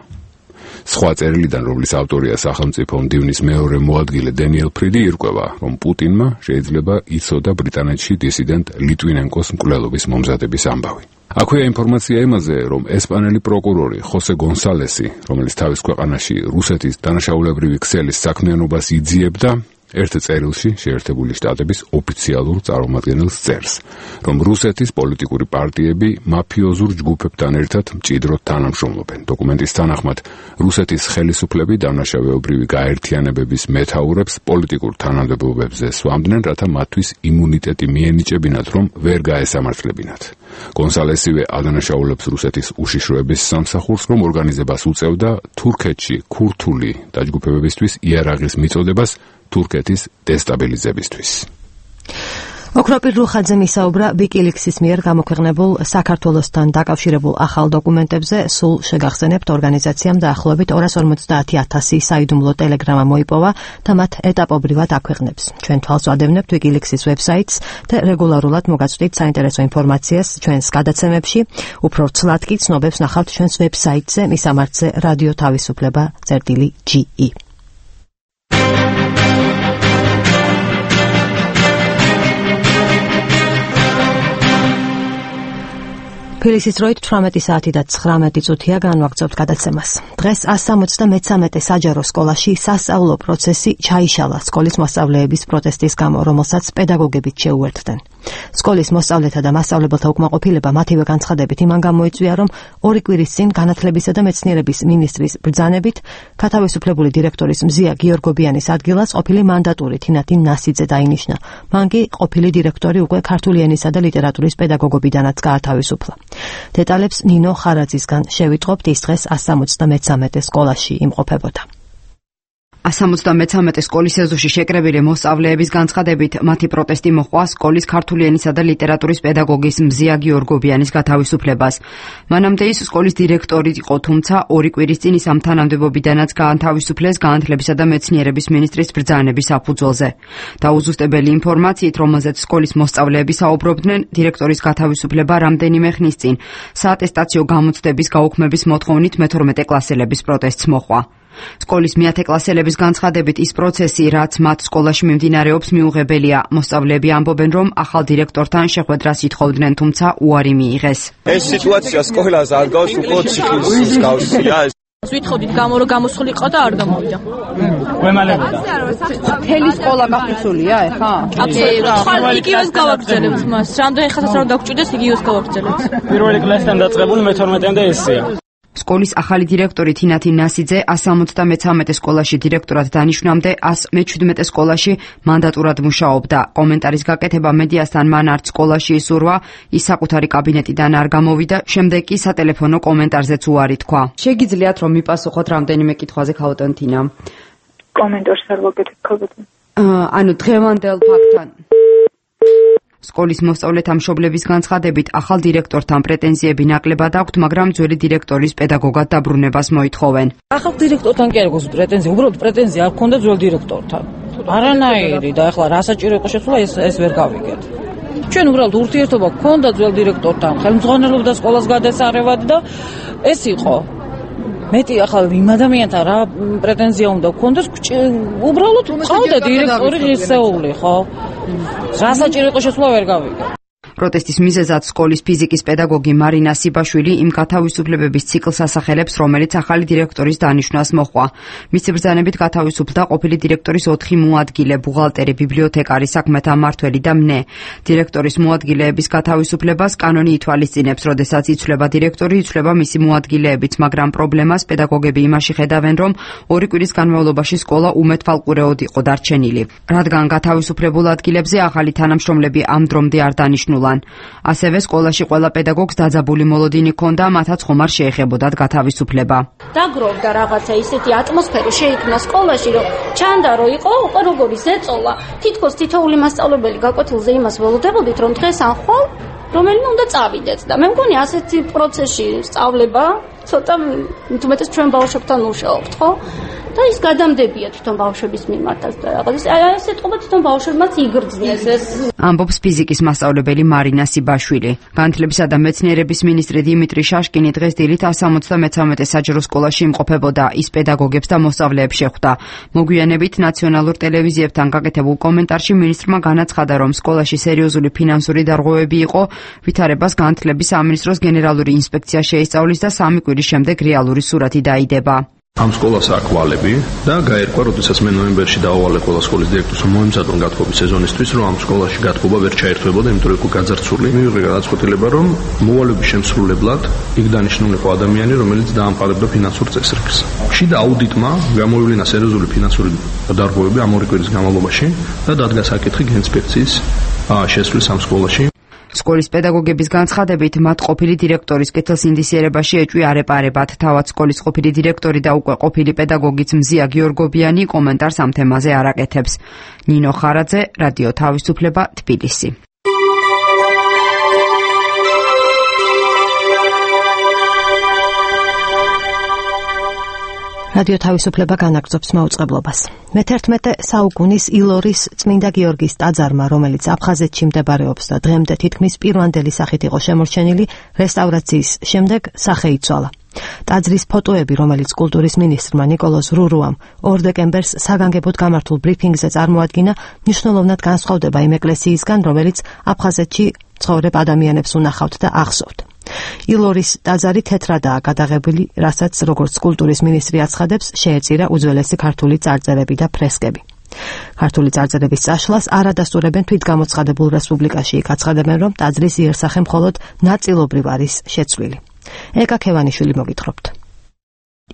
სხვა წერილიდან, რომლის ავტორია სახელმწიფო მდივნის მეორე მოადგილე დენიელ ფრიდი, ირკვევა, რომ პუტინმა შეიძლება იცოდა ბრიტანეთში დისიდენტ ლიტვინენკოს მკვლელობის მომზადების ამბავი. აქვეა ინფორმაცია იმაზე, რომ ესპანელი პროკურორი ხოსე გონსალესი, რომელიც თავის ქვეყანაში რუსეთის დანაშაულებრივი ქსელის საქმიანობას იძიებდა, ერთ წერილში შეერთებული შტატების ოფიციალურ წარმომადგენელს წერს, რომ რუსეთის პოლიტიკური პარტიები მაფიოზურ ჯგუფებთან ერთად მჭიდროდ თანამშრომლობენ. დოკუმენტის თანახმად, რუსეთის ხელისუფლები დამნაშავეობრივი გაერთიანებების მეთაურებს პოლიტიკურ თანამდებობებზე სვამდნენ, რათა მათთვის იმუნიტეტი მიენიჭებინათ, რომ ვერ გაესამართლებინათ. გონსალესივე ადანაშაულებს რუსეთის უშიშროების სამსახურს, რომ ორგანიზებას უწევდა თურქეთში ქურთული დაჯგუფებებისთვის იარაღის მიწოდებას თურქეთის დესტაბილიზებისთვის. ოქროპირ რუხაძემ ისაუბრა ვიკილიქსის მიერ გამოქვეყნებულ საქართველოსთან დაკავშირებულ ახალ დოკუმენტებზე. სულ შეგახსენებთ, ორგანიზაციამ დაახლოებით ორას ორმოცდაათი ათასი საიდუმლო ტელეგრამა მოიპოვა და მათ ეტაპობრივად აქვეყნებს. ჩვენ თვალს ვადევნებთ ვიკილიქსის ვებსაიტს და რეგულარულად მოგაწვდით საინტერესო ინფორმაციას ჩვენს გადაცემებში. უფრო ცლად კი ცნობებს ნახავთ ჩვენს ვებსაიტზე, მისამართზე რადიო თავისუფლება წერტილი ჯი ი. თბილისის დროით თვრამეტი საათი და ცხრამეტი წუთია განვაგრძობთ გადაცემას. დღეს ასს სამოცდამეცამეტე საჯარო სკოლაში სასწავლო პროცესი ჩაიშალა სკოლის მოსწავლეების პროტესტის გამო, რომელსაც პედაგოგებიც შეუერთდნენ. სკოლის მოსწავლეთა და მასწავლებელთა უკმაყოფილება მათივე განცხადებით იმან გამოიწვია, რომ ორი კვირის წინ განათლებისა და მეცნიერების მინისტრის ბრძანებით გათავისუფლებული დირექტორის მზია გიორგობიანის ადგილას ყოფილი მანდატური თინათინ ნასიძე დაინიშნა. მან კი ყოფილი დირექტორი უკვე ქართული ენისა და ლიტერატურის პედაგოგობიდანაც გაათავისუფლა. დეტალებს ნინო ხარაძისგან შევიტყობთ. ის დღეს ასს სამოცდამეცამეტე სკოლაში იმყოფებოდა. ასს სამოცდამეცამეტე სკოლის ეზოში შეკრებილი მოსწავლეების განცხადებით მათი პროტესტი მოჰყვა სკოლის ქართული ენისა და ლიტერატურის პედაგოგის მზია გიორგობიანის გათავისუფლებას. მანამდე ის სკოლის დირექტორი იყო, თუმცა ორი კვირის წინ ის ამ თანამდებობიდანაც გაათავისუფლეს განათლებისა და მეცნიერების მინისტრის ბრძანების საფუძველზე. დაუზუსტებელი ინფორმაციით, რომელზეც სკოლის მოსწავლეები საუბრობდნენ, დირექტორის გათავისუფლება რამდენიმე ხნის წინ საატესტაციო გამოცდების გაუქმების მოთხოვნით მეთორმეტე კლასელების პროტესტს მოჰყვა. სკოლის მეათე კლასელების განცხადებით ის პროცესი, რაც მათ სკოლაში მიმდინარეობს, მიუღებელია. მოსწავლეები ამბობენ, რომ ახალ დირექტორთან შეხვედრას ითხოვდნენ, თუმცა უარი მიიღეს. ეს სიტუაცია სკოლაზე არ გავს, უბრალოდ ციხის გავსია. ვითხოდით გამო რომ გამოსხლიყო და არ გამოვიდა. გვემალებოდა. მთელი სკოლა გაფიცულია, ეხა? აბსოლუტურად. ხარ იგივეს გავაგრძელებთ მას. რამდენი ხანს რომ დაგჭირდეს, იგივეს გავაგრძელებთ. პირველი კლასიდან დაწყებული მეთორმეტემდე ესეა. სკოლის ახალი დირექტორი თინათინ ნასიძე ასს სამოცდამეცამეტე სკოლაში დირექტორად დანიშნამდე ასს მეჩვიდმეტე სკოლაში მანდატურად მუშაობდა. კომენტარის გაკეთება მედიასთან მან არც სკოლაში ისურვა, ის საკუთარი კაბინეტიდან არ გამოვიდა, შემდეგ კი სატელეფონო კომენტარზეც უარი თქვა. შეგიძლიათ რომ მიპასუხოთ რამდენიმე კითხვაზე, ქალბატონ თინა? კომენტარს არ ვაკეთებ. ანუ დღევანდელ ფაქტთან სკოლის მოსწავლეთა მშობლების განცხადებით ახალ დირექტორთან პრეტენზიები ნაკლებად აქვთ, მაგრამ ძველი დირექტორის პედაგოგად დაბრუნებას მოითხოვენ. ახალ დირექტორთან კი არ აქვს პრეტენზია, უბრალოდ პრეტენზია არ ქონდა ძველ დირექტორთან. არანაირი და ახლა რა საჭირო იყო შესულა ეს ეს ვერ გავიგეთ. ჩვენ უბრალოდ ურთიერთობა ქონდა ძველ დირექტორთან, ხელმძღვანელობდა სკოლას გადასარევად და ეს იყო. მეტი ახლა იმ ადამიანთან რა პრეტენზია უნდა გქონდეს, უბრალოდ ყავდა დირექტორი ღირსეული, ხო? რა საჭირო იყო შესულა ვერ გავიგე. პროტესტის მიზეზად სკოლის ფიზიკის პედაგოგი მარინა სიბაშვილი იმ გათავისუფლებების ციკლს ასახელებს, რომელიც ახალი დირექტორის დანიშვნას მოჰყვა. მისი ბრძანებით გათავისუფლდა ყოფილი დირექტორის ოთხი მოადგილე, ბუღალტერი, ბიბლიოთეკარი, საქმეთა მმართველი და მნე. დირექტორის მოადგილეების გათავისუფლებას კანონი ითვალისწინებს, როდესაც იცვლება დირექტორი, იცვლება მისი მოადგილეებიც, მაგრამ პრობლემას პედაგოგები იმაში ხედავენ, რომ ორი კვირის განმავლობაში სკოლა უმეთვალყურეოდ იყო დარჩენილი. რადგან გათავისუფლებულ ადგილებზე ახალი თანამშრომლები ამ დრომდე არ დანიშნულა. ასევე სკოლაში ყველა პედაგოგს დაძაბული მოლოდინი ჰქონდა, მათაც ხომარ შეეხებოდათ გათავისუფლება. დაგროვდა რაღაცა ისეთი ატმოსფერო შეიქმნა სკოლაში, რომ ჩანდა რომ იყო უკვე როგორი ზეწოლა. თითქოს თითოეული მასწავლებელი გაკვეთილზე იმას ველოდებოდით, რომ დღეს ან ხვალ რომელიმე უნდა წავიდეთ და მე მგონი ასეთი პროცესში სწავლება ცოტა თუმცა ჩვენ ბავშვებთან ვუშაობთ, ხო? და ის გადამდებია თვითონ ბავშვების მიმართაც და რაღაც აი ეს ეთყობა თვითონ ბავშვებმაც იგრძნეს ეს. ამბობს ფიზიკის მასწავლებელი მარინა სიბაშვილი. განათლებისა და მეცნიერების მინისტრი დიმიტრი შაშკინი დღეს დილით ასს სამოცდამეცამეტე საჯარო სკოლაში იმყოფებოდა. ის პედაგოგებს და მოსწავლეებს შეხვდა. მოგვიანებით ნაციონალურ ტელევიზიებთან გაკეთებულ კომენტარში მინისტრმა განაცხადა, რომ სკოლაში სერიოზული ფინანსური დარღვევები იყო, ვითარებას განათლების სამინისტროს გენერალური ინსპექცია შეისწავლის და სამი კვირის შემდეგ რეალური სურათი დაიდება. ამ სკოლას აქვს ვალები და გაერკვა, როდესაც მე ნოემბერში დავავალე ყველა სკოლის დირექტორს, რომ მოემზადონ გათხოვების სეზონისთვის, რომ ამ სკოლაში გათხოვება ვერ ჩაერთვებოდა, იმიტომ რომ იყო გაძარცვული. მივიღე გადაწყვეტილება, რომ მოვალების შემსრულებლად იქ დანიშნულიყო ადამიანი, რომელიც დაამყარებდა ფინანსურ წესრიგს. შიდა აუდიტმა გამოივლინა სერიოზული ფინანსური დარღვევები ამ ორი კვირის განმავლობაში და დადგა საკითხი გენსპექციის შესვლის ამ სკოლაში. სკოლის პედაგოგების განცხადებით, მათ ყოფილი დირექტორის კეთილსინდისიერებაში ეჭვი არ ეპარებათ. თავად სკოლის ყოფილი დირექტორი და უკვე ყოფილი პედაგოგიც მზია გიორგობიანი კომენტარს ამ თემაზე არ აკეთებს. ნინო ხარაძე, რადიო თავისუფლება, თბილისი. რადიო თავისუფლება განაგრძობს მაუწყებლობას. მეთერთმეტე საუკუნის ილორის წმინდა გიორგის ტაძარმა, რომელიც აფხაზეთში მდებარეობს და დღემდე თითქმის პირვანდელი სახით იყო შემორჩენილი, რესტავრაციის შემდეგ სახე იცვალა. ტაძრის ფოტოები, რომელიც კულტურის მინისტრმა ნიკოლოზ რურუამ ორ დეკემბერს საგანგებოდ გამართულ ბრიფინგზე წარმოადგინა, მნიშვნელოვნად განსხვავდება იმ ეკლესიისგან, რომელიც აფხაზეთში ცხოვრებ ადამიანებს უნახავთ და ახსოვთ. ილორის ტაძარი თეთრადაა გადაღებული, რასაც როგორც კულტურის მინისტრი აცხადებს, შეეწირა უძველესი ქართული წარწერები და ფრესკები. ქართული წარწერების წაშლას არ ადასტურებენ თვითგამოცხადებულ რესპუბლიკაში, იქ აცხადებენ, რომ ტაძრის იერსახე მხოლოდ ნაწილობრივ არის შეცვლილი. ეკა ქევანიშვილი მოგითხრობთ.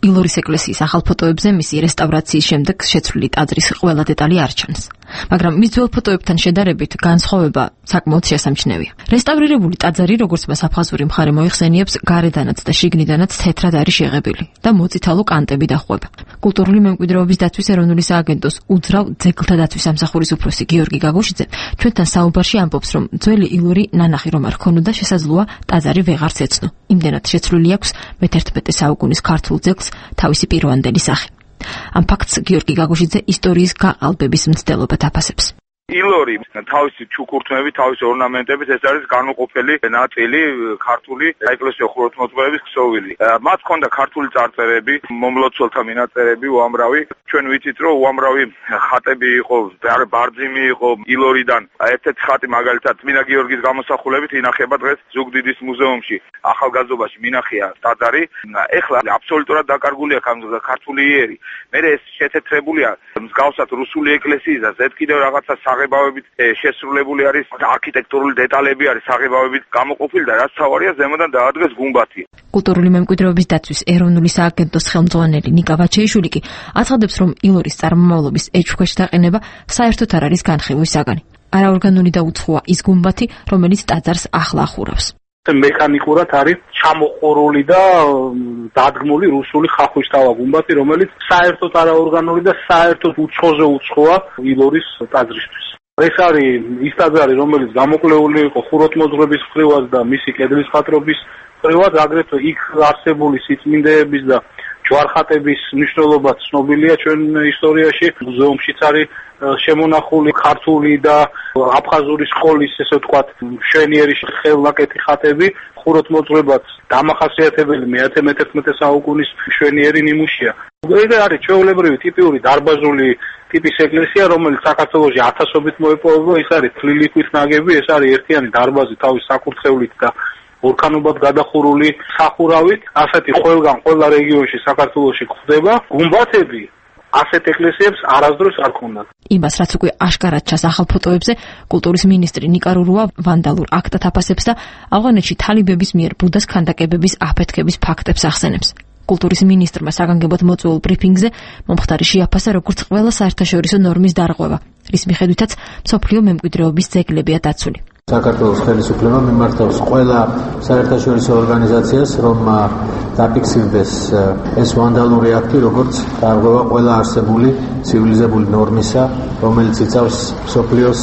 ილორის ეკლესიის ახალ ფოტოებზე მისი რესტავრაციის შემდეგ შეცვლილი ტაძრის ყველა დეტალი არ ჩანს. მაგრამ მის ძველ ფოტოებთან შედარებით განსხვავება საკმაოდ შესამჩნევია. რესტავრირებული ტაძარი, როგორც მას აფხაზური მხარე მოიხსენიებს, გარედანაც და შიგნიდანაც თეთრად არის შეღებილი და მოწითალო კანტები დახვება. კულტურული მემკვიდრეობის დაცვის ეროვნული სააგენტოს უძრავ ძეგლთა დაცვის სამსახურის უფროსი გიორგი გაგუშიძე ჩვენთან საუბარში ამბობს, რომ ძველი ილორი ნანახი რომ არ ქონოდა, შესაძლოა ტაძარი ვეღარც ეცნო. იმდენად შეცვლილი აქვს მეთერთმეტე საუკუნის ქართულ ძეგლს თავისი პირვანდელი სახე. ამ ფაქტს გიორგი გაგუშიძე ისტორიის გაყალბების მცდელობად აფასებს. ილორი თავისი ჩუქურთმებით, თავისი ორნამენტებით ეს არის განუყოფელი ნაწილი ქართული საეკლესიო ხუროთმოძღვრების ქსოვილი. მათ ჰქონდა ქართული წარწერები, მომლოცველთა მინაწერები უამრავი. ჩვენ ვიცით, რომ უამრავი ხატები იყო, ბარძიმი იყო ილორიდან. ერთ-ერთი ხატი მაგალითად წმინდა გიორგის გამოსახულებით ინახება დღეს ზუგდიდის მუზეუმში. ახალგაზრდობაში მინახია ტაძარი. ეხლა აბსოლუტურად დაკარგული აქვს ქართული იერი. მერე ეს შეთეთრებულია მსგავსად რუსული ეკლესიის და ზედ კიდევ რაღაცა საღებავებით შესრულებული არის, არქიტექტურული დეტალები არის საღებავებით გამოყოფილი და რაც თავარია ზემოდან დაადგეს გუმბათი. კულტურული მემკვიდრეობის დაცვის ეროვნული სააგენტოს ხელმძღვანელი ნიკა ვაჩეიშვილი კი აცხადებს, რომ ილორის წარმომავლობის ეჭვქვეშ დაყენება საერთოდ არ არის განხილვის საგანი. არაორგანული და უცხოა ის გუმბათი, რომელიც ტაძარს ახლა ახურავს. მექანიკურად არის ჩამოყურული და დადგმული რუსული ხახვისთავა გუმბათი, რომელიც საერთოდ არაორგანული და საერთოდ უცხოზე უცხოა ილორის ტაძრისთვის. ეს არის ის ტაძარი, რომელიც გამოკვლეული იყო ხუროთმოძღვრების მხრივაც და მისი კედლის მხატვრობის მხრივაც, აგრეთვე იქ არსებული სიწმინდეების და ჯვარხატების მნიშვნელობა ცნობილია ჩვენ ისტორიაში. მუზეუმშიც არის შემონახული ქართული და აფხაზური სკოლის, ესე ვთქვათ, მშვენიერი ხელნაკეთი ხატები, ხუროთმოძღვრებაც დამახასიათებელი მეათე მეთერთმეტე საუკუნის მშვენიერი ნიმუშია. ეს არის ჩვეულებრივი ტიპიური დარბაზული ტიპის ეკლესია, რომელიც საქართველოში ათასობით მოიპოვება. ეს არის თლილი ქვით ნაგები, ეს არის ერთიანი დარბაზი თავის საკურთხევლით და ორქანობად გადახურული სახურავით. ასეთი ყველგან ყველა რეგიონში საქართველოში გვხდება. გუმბათები ასეთ ეკლესიებს არასდროს არ ქონდათ. იმას, რაც უკვე აშკარად ჩანს ახალ ფოტოებზე, კულტურის მინისტრი ნიკა რურუა ვანდალურ აქტად აფასებს და ავღანეთში თალიბების მიერ ბუდას ქანდაკებების აფეთქების ფაქტებს ახსენებს. კულტურის მინისტრმა საგანგებოდ მოწვეულ ბრიფინგზე მომხდარი შეაფასა, როგორც ყველა საერთაშორისო ნორმის დარღვევა, რის მიხედვითაც მსოფლიო მემკვიდრეობის ძეგლებია დაცული. საქართველოს ხელისუფლება მიმართავს ყველა საერთაშორისო ორგანიზაციას, რომ დაფიქსირდეს ეს ვანდალური აქტი, როგორც დარღვევა ყველა არსებული ცივილიზებული ნორმისა, რომელიც იცავს მსოფლიოს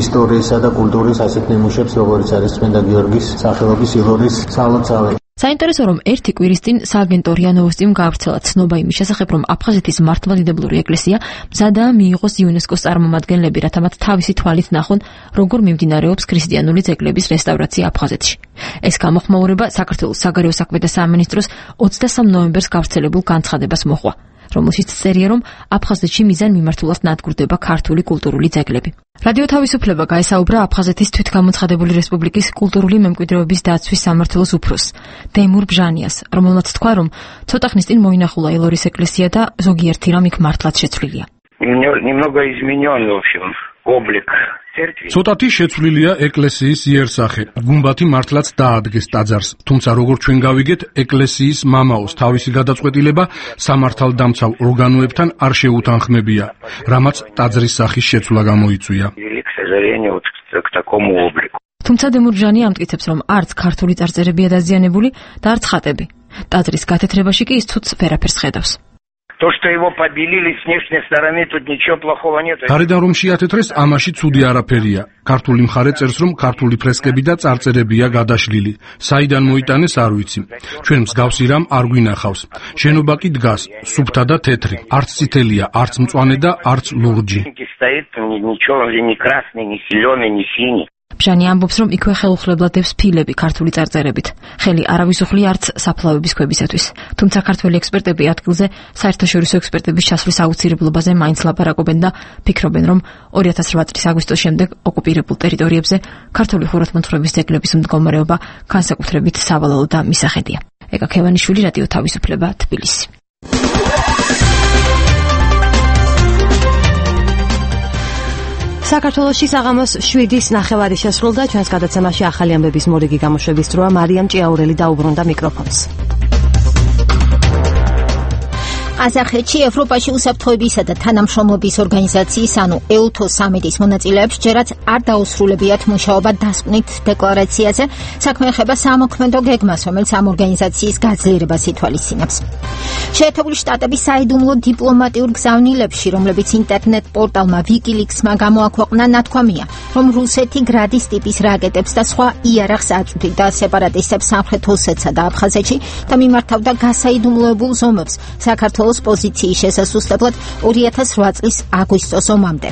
ისტორიისა და კულტურის ასეთ ნიმუშებს, როგორც არის წმინდა გიორგის სახელობის ილორის სალოცავი. საინტერესო, რომ ერთი კვირის წინ სააგენტო რია ნოვოსტიმ გაავრცელა ცნობა იმის შესახებ, რომ აფხაზეთის მართლმადიდებლური ეკლესია მზადაა მიიღოს იუნესკოს წარმომადგენლები, რათა მათ თავისი თვალით ნახონ, როგორ მიმდინარეობს ქრისტიანული ძეგლების რესტავრაცია აფხაზეთში. ეს გამოხმაურება საქართველოს საგარეო საქმეთა სამინისტროს ოცდასამ ნოემბერს გავრცელებულ განცხადებას მოჰყვა, რომელშიც წერია, რომ აფხაზეთში მიზან მიმართულად ნადგურდება ქართული კულტურული ძეგლები. რადიო თავისუფლება გაესაუბრა აფხაზეთის თვითგამოცხადებული რესპუბლიკის კულტურული მემკვიდრეობის დაცვის სამმართველოს უფროსს დემურ ბჟანიას, რომელმაც თქვა, რომ ცოტა ხნის წინ მოინახულა ილორის ეკლესია და ზოგიერთი რამ იქ მართლაც შეცვლილია. Немного изменён, в общем, облик. ცოტათი შეცვლილია ეკლესიის იერსახე. გუმბათი მართლაც დაადგეს ტაძარს, თუმცა როგორც ჩვენ გავიგეთ, ეკლესიის მამაოს თავისი გადაწყვეტილება სამართალდამცავ ორგანოებთან არ შეუთანხმებია, რამაც ტაძრის სახის შეცვლა გამოიწვია. თუმცა დემურჟანი ამტკიცებს, რომ არც ქართული წარწერებია დაზიანებული და არც ხატები. ტაძრის გათეთრებაში კი ის თუც ვერაფერს ხედავს. То, что его побелили с внешней стороны, тут ничего плохого нет. გარედან რომ შეათეთრეს, ამაში ცუდი არაფერია. ქართული მხარე წერს, რომ ქართული ფრესკები და წარწერებია გადაშლილი. საიდან მოიტანეს არ ვიცი. ჩვენ მსგავსი რამ არ გვინახავს. შენობა კი დგას, სუფთა და თეთრი. არც წითელია, არც მწვანე და არც ლურჯი. Ничего, ни красный, ни зеленый, ни синий. ბჟანი ამბობს, რომ იქვე ხელუხლებლად დევს ფილები ქართული წარწერებით. ხელი არავის უხლი არც საფლავების ქვებისათვის. თუმცა ქართველი ექსპერტები ადგილზე საერთაშორისო ექსპერტების ჩასვლის აუცილებლობაზე მაინც ლაპარაკობენ და ფიქრობენ, რომ ორი ათას რვა წლის აგვისტოს შემდეგ ოკუპირებულ ტერიტორიებზე ქართული ხუროთმოძღვრების ძეგლების მდგომარეობა განსაკუთრებით სავალალო და მისახედია. ეკა ქევანიშვილი, რადიო თავისუფლება, თბილისი. საქართველოში საღამოს შვიდის ნახევარი შესრულდა. ჩვენს გადაცემაში ახალი ამბების მორიგი გამოშვების დროა. მარიამ ჭიაურელი დაუბრუნდა მიკროფონს. ყაზახეთში ევროპაში უსაფრთხოებისა და თანამშრომლობის ორგანიზაციის ანუ ეუთო სამიტის მონაწილეებს ჯერაც არ დაუსრულებიათ მუშაობა დასკვნით დეკლარაციაზე. საქმე ეხება სამოქმედო გეგმას, რომელიც ამ ორგანიზაციის გაძლიერებას ითვალისწინებს. შეერთებული შტატების საიდუმლო დიპლომატიურ გზავნილებში, რომლებიც ინტერნეტ პორტალმა ვიკილიქსმა გამოაქვეყნა, ნათქვამია, რომ რუსეთი გრადის ტიპის რაკეტებს და სხვა იარაღს აწვდიდა სეპარატისტებს სამხრეთ ოსეთსა და აფხაზეთში და მიმართავდა გასაიდუმლოებულ ზომებს საქართველოს პოზიციის შესასუსტებლად ორი ათას რვა წლის აგვისტოს ომამდე.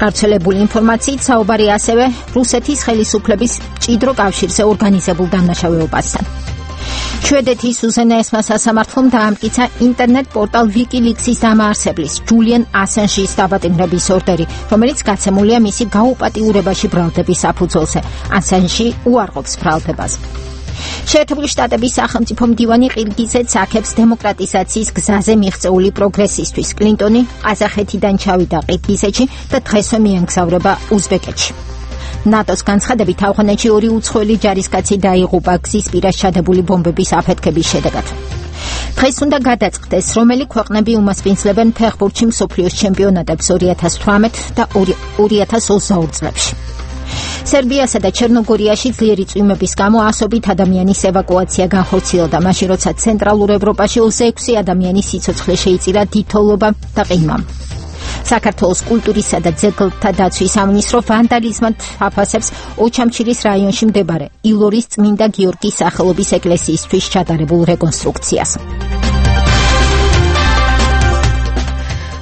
გავრცელებული ინფორმაციით საუბარი ასევე რუსეთის ხელისუფლების მჭიდრო კავშირზე ორგანიზებულ დამნაშავეობასთან. შვედეთის უზენაესმა სასამართლომ დაამტკიცა ინტერნეტ პორტალ ვიკილიქსის დამაარსებლის ჯულიან ასენჟის დაპატიმრების ორდერი, რომელიც გაცემულია მისი გაუპატიურებაში ბრალდების საფუძველზე. ასენჟი უარყოფს ბრალდებას. შეერთებული შტატების სახელმწიფო მდივანი ყირგიზეთს აქებს დემოკრატიზაციის გზაზე მიღწეული პროგრესისთვის. კლინტონი ყაზახეთიდან ჩავიდა ყირგიზეთში და დღესვე მიემგზავრება უზბეკეთში. ნატოს განცხადებით ავღანეთში ორი უცხოელი ჯარისკაცი დაიღუპა გზის პირას ჩადებული ბომბების აფეთქების შედეგად. დღეს უნდა გადაწყდეს, რომელი ქვეყნები უმასპინძლებენ ფეხბურთში მსოფლიოს ჩემპიონატებს ორი ათას თვრამეტ და ორი ათას ოცდაორი წლებში. სერბიასა და ჩერნოგორიაში ძლიერი წვიმების გამო ასობით ადამიანის ევაკუაცია განხორციელდა, მაშინ როცა ცენტრალურ ევროპაში ოცდაექვსი ადამიანის სიცოცხლე შეიწირა დიდთოვლობამ და ყინვამ. საქართველოს კულტურისა და ძეგლთა დაცვის სამინისტრო ვანდალიზმად აფასებს ოჩამჩირის რაიონში მდებარე ილორის წმინდა გიორგის სახელობის ეკლესიისთვის ჩატარებულ რეკონსტრუქციას.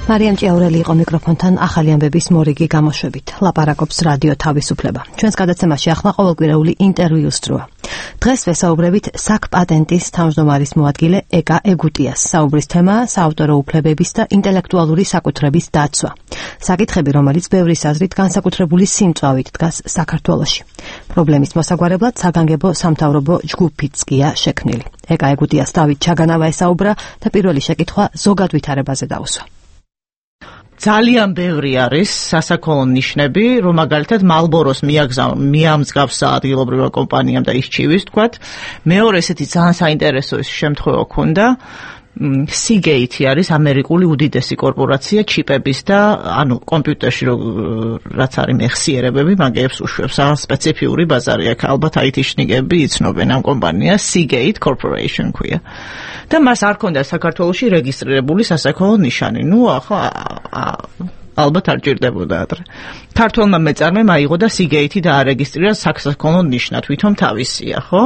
მარიამ ჭიაურელი იყო მიკროფონთან ახალი ამბების მორიგი გამოშვებით. ლაპარაკობს რადიო თავისუფლება. ჩვენს გადაცემაში ახლა ყოველკვირეული ინტერვიუს დროა. დღეს ვესაუბრებით საქ-პატენტის თავმჯდომარის მოადგილე ეკა ეგუტიას. საუბრის თემაა საავტორო უფლებების და ინტელექტუალური საკუთრების დაცვა. საკითხები, რომელიც ბევრის აზრით განსაკუთრებული სიმწვავით დგას საქართველოში. პრობლემის მოსაგვარებლად საგანგებო სამთავრობო ჯგუფიც გია შექმნილი. ეკა ეგუტიას დავით ჩაგანავა ესაუბრა და პირველი შეკითხვა ზოგად ვითარებაზე დაუსვა. ძალიან ბევრი არის სასაქონლო ნიშნები, რომ მაგალითად Marlboro-ს მიამსგავს ადგილობრივმა კომპანიამ და ისჩივის, თქვათ. მეორე ესეთი ძალიან საინტერესო შემთხვევა ქონდა. Seagate არის ამერიკული უდიდესი კორპორაცია ჩიპების და ანუ კომპიუტერში რაც არის მეხსიერებები, მაგებს უშვებს. ძალიან სპეციფიური ბაზარი აქვს. ალბათ აი ტი-შნიკები იცნობენ ამ კომპანიას, Seagate Corporation ქვია. და მას არ ქონდა საქართველოში რეგისტრირებული სასაქონლო ნიშანი. ნუ ახლა ალბათ არ ჭირდებოდა ადრე. ქართველმა მეწარმემ აიღო და Seagate დაარეგისტრირა სასაქონლო ნიშნად, თვითონ თავისია, ხო?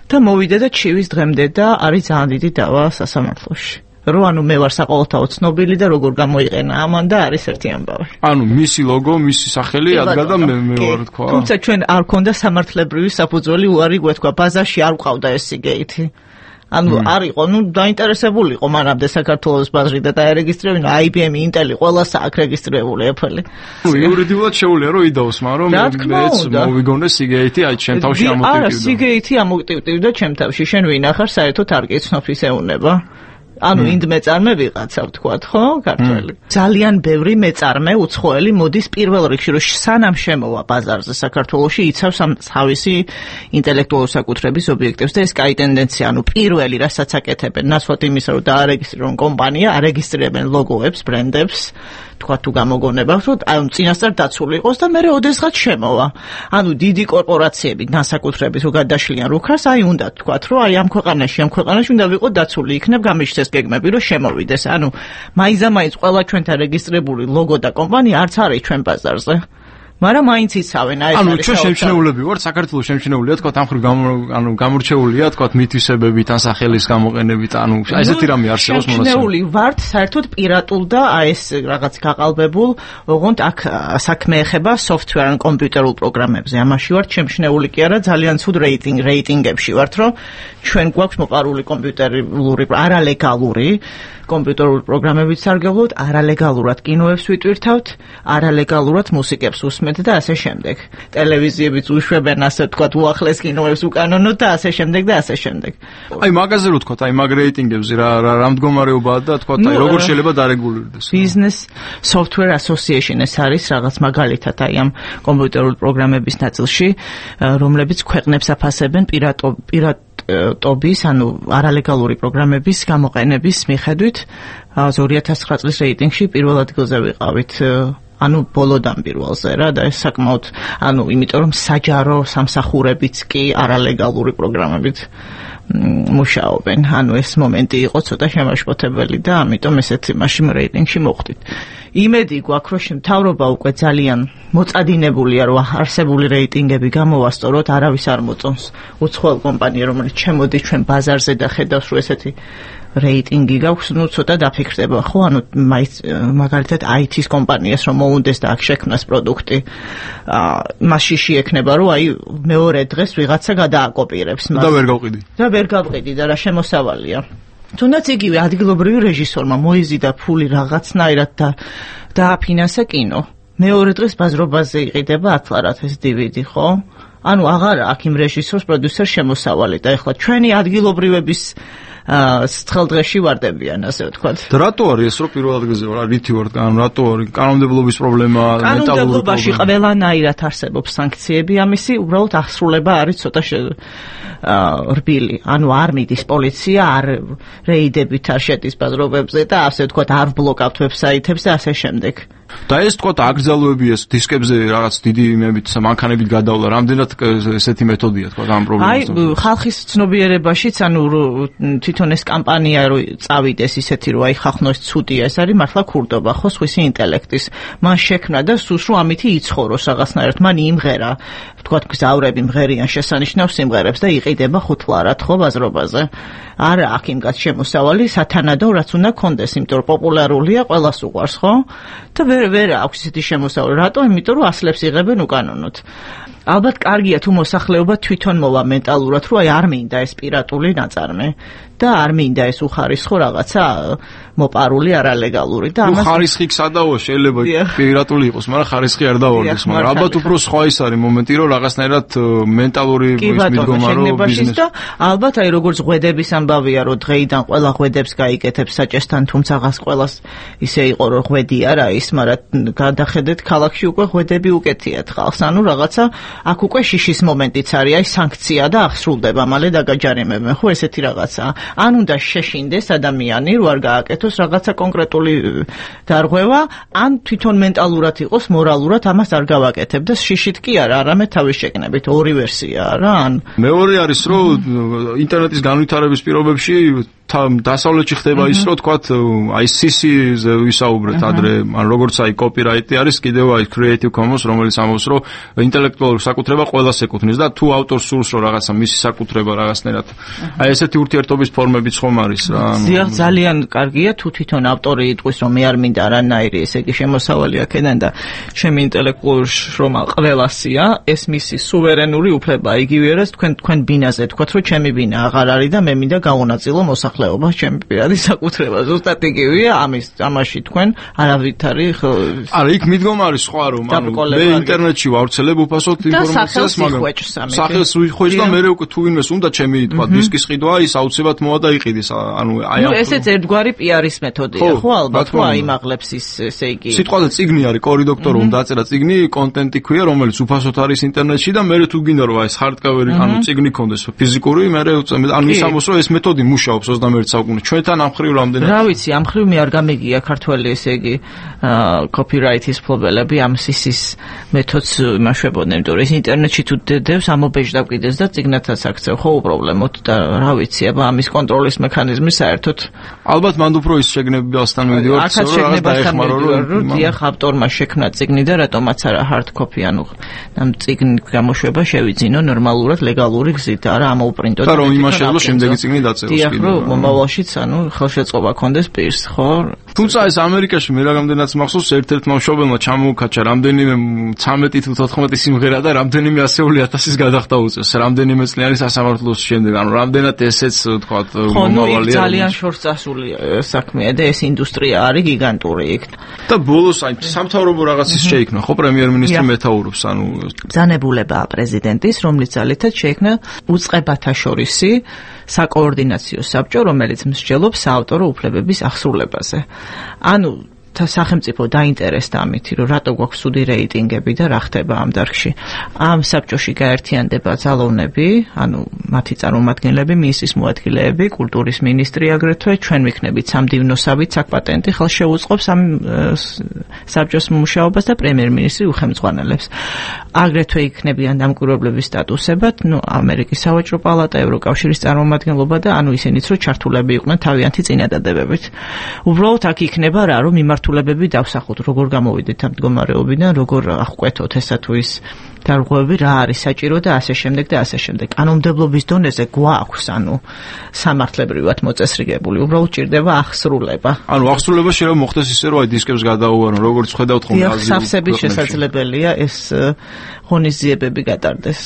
და მოვიდა და ჩივის დღემდე და არის ძალიან დიდი დავა სასამართლოში. რო ანუ მე ვარ საყოველთაო ცნობილი და როგორ გამოიყენა ამან და არის ერთი ამბავი. ანუ მისი ლოგო, მისი სახელი ადგა და მე მე ვარ თქვა. თუმცა ჩვენ არ ქონდა სამართლებრივი საფუძველი უარი გვეთქვა. ბაზარში არ ვყავდა ეს Seagate. ანუ არ იყო, ნუ დაინტერესებული იყო მანამდე საქართველოს ბაზრი და დაერეგისტრირებინა აი ბი ემ, Intel, ყველას აქვს რეგისტრირებული Apple. ნუ იურიდიულად შეუძლია რომ იდაოს, მაგრამ მეც მოვიგონე Seagate, აი ჩემ თავში ამოტივტივდა. არა, Seagate ამოტივტივდა ჩემ თავში. შენ ვინახარ, საერთოდ არ გიცნობ ის ეუნება. ანუ ინდ მეწარმე ვიღაცა ვთქვათ, ხო, ქართველი. ძალიან ბევრი მეწარმე უცხოელი მოდის პირველ რიგში, რომ სანამ შემოვა ბაზარზე საქართველოში, იცავს ამ თავისი ინტელექტუალური საკუთრების ობიექტებს და ეს კაი ტენდენცია, ანუ პირველი რასაც აკეთებენ, ნაცვლად იმისა, რომ დაარეგისტრირონ კომპანია, არეგისტრირებენ ლოგოებს, ბრენდებს თქვა თუ გამოგონებავს, რომ აი წინასწარ დაცული იყოს და მერე ოდესღაც შემოვა. ანუ დიდი კორპორაციები განსაკუთრებით რო გადაშლიან რუქას, აი უნდა თქვათ, რომ აი ამ ქვეყანაში, ამ ქვეყანაში უნდა ვიყო დაცული, იქნებ გამიშთეს გეგმები, რომ შემოვიდეს. ანუ მაინც-ამაინც ყველა ჩვენთან რეგისტრირებული ლოგო და კომპანია არც არის ჩვენ ბაზარზე. მაგრამ მაინც იცავენ აი ეს ანუ ჩვენ შემჩნეულები ვართ საქართველოს შემჩნეულია თქვა ამ ხრივ ანუ გამორჩეულია თქვა მითვისებებით ან სახელის გამოყენებით ანუ აი ესეთი რამე არსებობს მონაცემები შემჩნეული ვართ საერთოდ პირატულ და აი ეს რაღაც გაყალბებულ ოღონდ აქ საქმე ეხება software ან კომპიუტერულ პროგრამებზე ამაში ვართ შემჩნეული კი არა ძალიან ცუდ რეიტინგ რეიტინგებში ვართ რომ ჩვენ გვაქვს მოპარული კომპიუტერული არალეგალური კომპიუტერული პროგრამებით სარგებლობთ არალეგალურად კინოებს ვიტვირთავთ არალეგალურად მუსიკებს უსმენთ და ასე შემდეგ. ტელევიზიებიც უშვებენ ასე ვთქვათ უახლეს კინოებს უკანონოდ და ასე შემდეგ და ასე შემდეგ. აი მაგაზე რო ვთქვათ, აი მაგ რეიტინგებზე რა რა მდგომარეობაა და თქვათ აი როგორ შეიძლება დარეგულირდეს. Business Software Association ეს არის რაღაც მაგალითად აი ამ კომპიუტერული პროგრამების ნაწილში, რომლებიც ქვეყნებს აფასებენ პირატო პირატ ტობის, ანუ არალეგალური პროგრამების გამოყენების მიხედვით ორი ათას ცხრა წლის რეიტინგში პირველ ადგილზე ვიყავით. ანუ ბოლოდან პირველზე რა და ეს საკმაოდ ანუ იმიტომ რომ საჯარო სამსახურებიც კი არალეგალური პროგრამებით მუშაობენ. ანუ ეს მომენტი იყო ცოტა შემაშფოთებელი და ამიტომ ესეთი მაშინ რეიტინგში მოხვდით. იმედი გვაქვს რომ მთავრობა უკვე ძალიან მოწადინებულია რომ არსებული რეიტინგები გამოვასწოროთ, არავის არ მოწონს უცხოელ კომპანია რომელიც შემოდის ჩვენ ბაზარზე და ხედავს რომ ესეთი რეიტინგი გაქვს, ну ცოტა დაფიქრდება, ხო? ანუ მაგალითად აი თის კომპანიას რომ მოუნდეს და აქ შექმნას პროდუქტი, აა მასში შეექნება რომ აი მეორე დღეს ვიღაცა გადააკოპირებს მას. და ვერ გავყიდი. და ვერ გავყიდი და რა შემოსავალია. თუნდაც იგივე ადგილობრივი რეჟისორმა მოიზიდა ფული რაღაცნაირად და დააფინანსა კინო. მეორე დღეს ბაზრობაზე იყიდება ათლარად ეს დი ვი დი, ხო? ანუ აღარა აქ იმ რეჟისორს პროდიუსერს შემოსავალი და ეხლა ჩვენი ადგილობრივების აა სთხელდღეში ვარდებიან ასე ვთქვათ. და რატო არის ეს რომ პირველ ადგილზე ვარ, რითი ვარ, ანუ რატო არის კანონმდებლობის პრობლემა, მეტალურგი პრობლემა? კანონმდებლობაში ყველანაირად არსებობს სანქციები, ამისი უბრალოდ აღსრულება არის ცოტა აა რბილი. ანუ არ მიდის პოლიცია, არ რეიდებით არ შედის ბაზრობებზე და ასე ვთქვათ არ ბლოკავთ ვებსაიტებს და ასე შემდეგ. და ეს თქვა აკრძალვები ეს დისკებზე რაღაც დიდი იმებით მანქანებით გადავლა რამდენად ესეთი მეთოდია თქვა ამ პრობლემას აი ხალხის ცნობიერებაშიც ანუ თვითონ ეს კამპანია რო წავიდეს ისეთი რომ აი ხახნოს ცუდია ეს არის მართლა ქურდობა ხო სხვისი ინტელექტის მან შექმნა და სულს რომ ამითი იცხოვროს რაღაცნაირად მან იმღერა თქვა გზავრები მღერიან შესანიშნავ სიმღერებს და იყიდება ხუთლარად ხო ბაზრობაზე არა აქ იმგაც შემოსავალი სათანადო რაც უნდა კონდეს იმიტომ რომ პოპულარულია ყველას უყვარს ხო და ვერ ვერ აქვს ისეთი შემოსავალი რატო იმიტომ რომ ასლებს იღებენ უკანონოდ ალბათ კარგია თუ მოსახლეობა თვითონ მოვა მენტალურად რომ აი არ მინდა ეს პირატული ნაწარმი და არ მინდა ეს უხარისხო რაღაცა მოპარული არალეგალური და ამას ხარისხი სადაო შეიძლება პირატული იყოს მაგრამ ხარისხი არ დავარდეს მაგრამ ალბათ უფრო სხვა ის არის მომენტი რომ რაღაცნაირად მენტალური მიდგომა რომ ბიზნესი და ალბათ აი როგორც ღვედების ამბავია რომ დღეიდან ყველა ღვედებს გაიკეთებს საჭესთან თუმცა გას ყველას ისე იყო რომ ღვედი არა ის მაგრამ გადახედეთ ქალაქში უკვე ღვედები უკეთიათ ხალხს ანუ რაღაცა აქ უკვე შიშის მომენტიც არის აი სანქცია და აღსრულდება მალე დაგაჯარიმებენ ხო ესეთი რაღაცაა ან უნდა შეშინდეს ადამიანი რო არ გააკეთოს რაღაცა კონკრეტული დარღვევა ან თვითონ მენტალურად იყოს მორალურად ამას არ გავაკეთებ და შიშით კი არა არამედ თავის შეკნებით ორი ვერსიაა რა ან მეორე არის რომ ინტერნეტის განვითარების პირობებში დასავლეთში ხდება ის რომ თქვათ აი სი-სი-ზე ვისაუბრეთ ადრე ან როგორც აი კოპირაიტი არის კიდევ აი Creative Commons რომელიც ამბობს რომ ინტელექტუალური საკუთრება ყველას ეკუთვნის და თუ ავტორს სურს რომ რაღაცა მისი საკუთრება რაღაცნაირად აი ესეთი ურთიერთობის ფორმებიც ხომ არის რა ანუ ძალიან კარგია თუ თვითონ ავტორი იტყვის რომ მე არ მინდა არანაირი ესე იგი შემოსავალი აქედან და ჩემი ინტელექტუალური შრომა ყველასია ეს მისი სუვერენური უფლება იგივე რაც თქვენ თქვენ ბინაზე თქვათ რომ ჩემი ბინა აღარ არის და მე მინდა გავონაწილო მოსახლეობა ჩემი პირადი საკუთრება ზუსტად იგივეა ამის ამაში თქვენ არავითარი არა იქ მიდგომა არის სხვა რომ ანუ მე ინტერნეტში ვავრცელებ უფასოდ ინფორმაციას მაგრამ სახელს ვიხვეჭ და მე უკვე თუ ვინმეს უნდა ჩემი თქვა დისკის ყიდვა ის აუცილებლად მოვა და იყიდეს ანუ აი ნუ ესეც ერთგვარი პიარის მეთოდია ხო ალბათ ხო აიმაღლებს ის ესე იგი სიტყვაზე წიგნი არის კორიდოქტორო უნდა დაწერა წიგნი კონტენტი ქვია რომელიც უფასოდ არის ინტერნეტში და მე თუ გინდა რომ აი ეს ჰარდკავერი ანუ წიგნი კონდეს ფიზიკური მე ანუ ის ამბობს რომ ეს მეთოდი მუშაობს ოცდამეერთე საუკუნე. ჩვენთან ამ ხრივ რამდენად? რა ვიცი, ამ ხრივ მე არ გამიგია ქართველი, ესე იგი კოპირაითის ფლობელები ამ სისის მეთოდს იმაშვებოდნენ, იმიტომ რომ ეს ინტერნეტში თუ დევს ამობეჭდა კიდეს და წიგნათაც აქცევ, ხო უპრობლემოდ და რა ვიცი, აბა ამის კონტროლის მექანიზმი საერთოდ ალბათ მანდ უფრო ის შეგნებებასთან მივიდივართ, აქაც შეგნებასთან მივიდივართ, რომ დიახ, ავტორმა შექმნა წიგნი და რატომაც არა hard copy, ანუ ამ წიგნის გამოშვება შევიძინო ნორმალურად ლეგალური გზით, არა ამოუპრინტო და რომ იმაშენებლო შემდეგი წიგნი დაწევოს კიდე. დიახ, რომ მომავალშიც ანუ ხელშეწყობა კონდეს პირს, ხო? თუმცა ეს ამერიკაში მე რამდენადაც მახსოვს, ერთ-ერთმა მშობელმა ჩამოუკაჩა რამდენიმე ცამეტი თუ თოთხმეტი სიმღერა და რამდენიმე ასეული ათასის გადახდა უწევს, რამდენიმე წლიანი სასამართლოს შემდეგ, ანუ რამდენად ესეც თქვათ მომავალია. ძალიან შორს წასული საქმეა და ეს ინდუსტრია არის გიგანტური იქ. და ბოლოს აი სამთავრობო რაღაცის შეიქმნა, ხო, პრემიერ-მინისტრი მეთაურობს, ანუ ბრძანებულებაა პრეზიდენტის, რომლის ძალითაც შეიქმნა უწყებათა შორისი საკოორდინაციო საბჭო, რომელიც მსჯელობს საავტორო უფლებების აღსრულებაზე. ანუ სახელმწიფო დაინტერესდა ამით, რომ რატო გვაქვს სუდი რეიტინგები და რა ხდება ამ დარგში. ამ საბჭოში გაერთიანდება ძალოვნები, ანუ მათი წარმომადგენლები, მინისტრის მოადგილეები, კულტურის მინისტრი აგრეთვე, ჩვენ ვიქნებით სამდივნოსავით, საკპატენტი ხელს შეუწყობს ამ საბჭოს მუშაობას და პრემიერ-მინისტრი უხელმძღვანელებს. აგრეთვე იქნებიან დამკვირვებლების სტატუსებად, ნუ ამერიკის სავაჭრო პალატა, ევროკავშირის წარმომადგენლობა და ანუ ისინიც რო ჩართულები იყვნენ თავიანთი წინადადებებით. უბრალოდ აქ იქნება რა, რომ მიმართულებები დავსახოთ, როგორ გამოვიდეთ ამ მდგომარეობიდან, როგორ აღკვეთოთ ესა თუ ის დარღვევები, რა არის საჭირო და ასე შემდეგ და ასე შემდეგ. კანონმდებლობის დონეზე გვაქვს, ანუ სამართლებრივად მოწესრიგებული, უბრალოდ ჭირდება აღსრულება. ანუ აღსრულება შეიძლება მოხდეს ისე, რომ აი დისკებს გადაუვარო, როგორც ხედავთ ხოლმე აზრით. სავსებით შესაძლებელია ეს ღონისძიებები გატარდეს.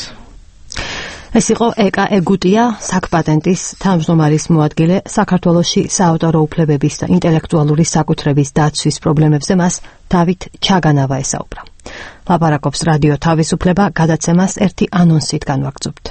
ეს იყო ეკა ეგუტია, საკპატენტის თავმჯდომარის მოადგილე, საქართველოში საავტორო უფლებების და ინტელექტუალური საკუთრების დაცვის პრობლემებზე მას დავით ჩაგანავა ესაუბრა. ლაპარაკობს რადიო თავისუფლება, გადაცემას ერთი ანონსით განვაგრძობთ.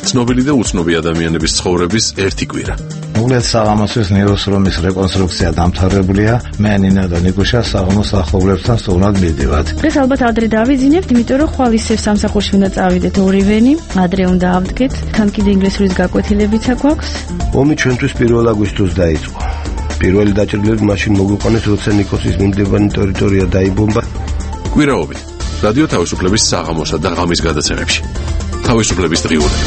ცნობილი და უცნობი ადამიანების ცხოვრების ერთი კვირა. უგლეთ საღამოსის ნეიროსრომის რეკონსტრუქცია დამთავრებულია. მე ნინა და ნიკუშა საღამოს ახლობლებთან სწორად მივდივართ. დღეს ალბათ ადრე დავიძინებთ, იმიტომ რომ ხვალ ისევ სამსახურში უნდა წავიდეთ ორივენი, ადრე უნდა ავდგეთ, თან კიდე ინგლისურის გაკვეთილებიც აქვს. ომი ჩვენთვის პირველ აგვისტოს დაიწყო. პირველი დაჭრილები მაშინ მოგვიყვანეს, როცა ნიკოსის მიმდებარე ტერიტორია დაიბომბა. კვირაობით რადიო თავისუფლების საღამოსა და ღამის გადაცემებში. თავისუფლების დღიურები.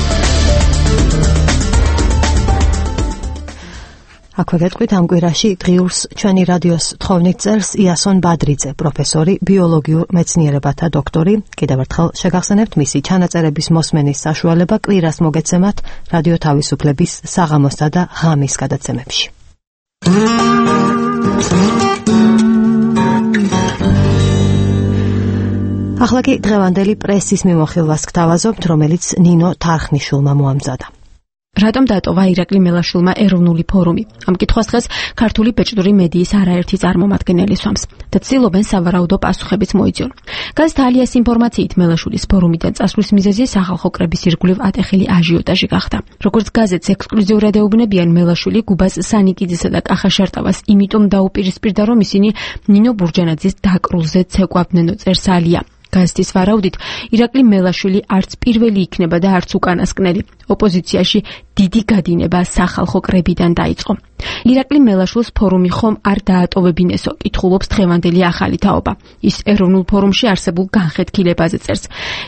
აქვე გეტყვით ამ კვირაში დღიურს ჩვენი რადიოს თხოვნით წერს იასონ ბადრიძე, პროფესორი, ბიოლოგიურ მეცნიერებათა დოქტორი. კიდევ ერთხელ შეგახსენებთ მისი ჩანაწერების მოსმენის საშუალება კვირას მოგეცემათ რადიო თავისუფლების საღამოსა და ღამის გადაცემებში. ახლა კი დღევანდელი პრესის მიმოხილვას გთავაზობთ, რომელიც ნინო თარხნიშვილმა მოამზადა. რატომ დატოვა ირაკლი მელაშვილმა ეროვნული ფორუმი? ამ კითხვას დღეს ქართული ბეჭდური მედიის არაერთი წარმომადგენელი სვამს და ცდილობენ სავარაუდო პასუხებიც მოიძიონ. გაზეთ ალიას ინფორმაციით, მელაშვილის ფორუმიდან წასვლის მიზეზი სახალხო კრების ირგვლივ ატეხილი აჟიოტაჟი გახდა. როგორც გაზეთს ექსკლუზიურად ეუბნებიან, მელაშვილი გუბას სანიკიძესა და კახაშარტავას იმიტომ დაუპირისპირდა, რომ ისინი ნინო ბურჯანაძის დაკრულზე ცეკვავდნენო, წერს ალია. გაზეთის ვარაუდით, ირაკლი მელაშვილი არც პირველი იქნება და არც უკანასკნელი. ოპოზიციაში დიდი გადინება სახალხო კრებიდან დაიწყო. ირაკლი მელაშვილს ფორუმი ხომ არ დაატოვებინესო, კითხულობს დღევანდელი ახალი თაობა. ის ეროვნულ ფორუმში არსებულ განხეთქილებაზე წერს.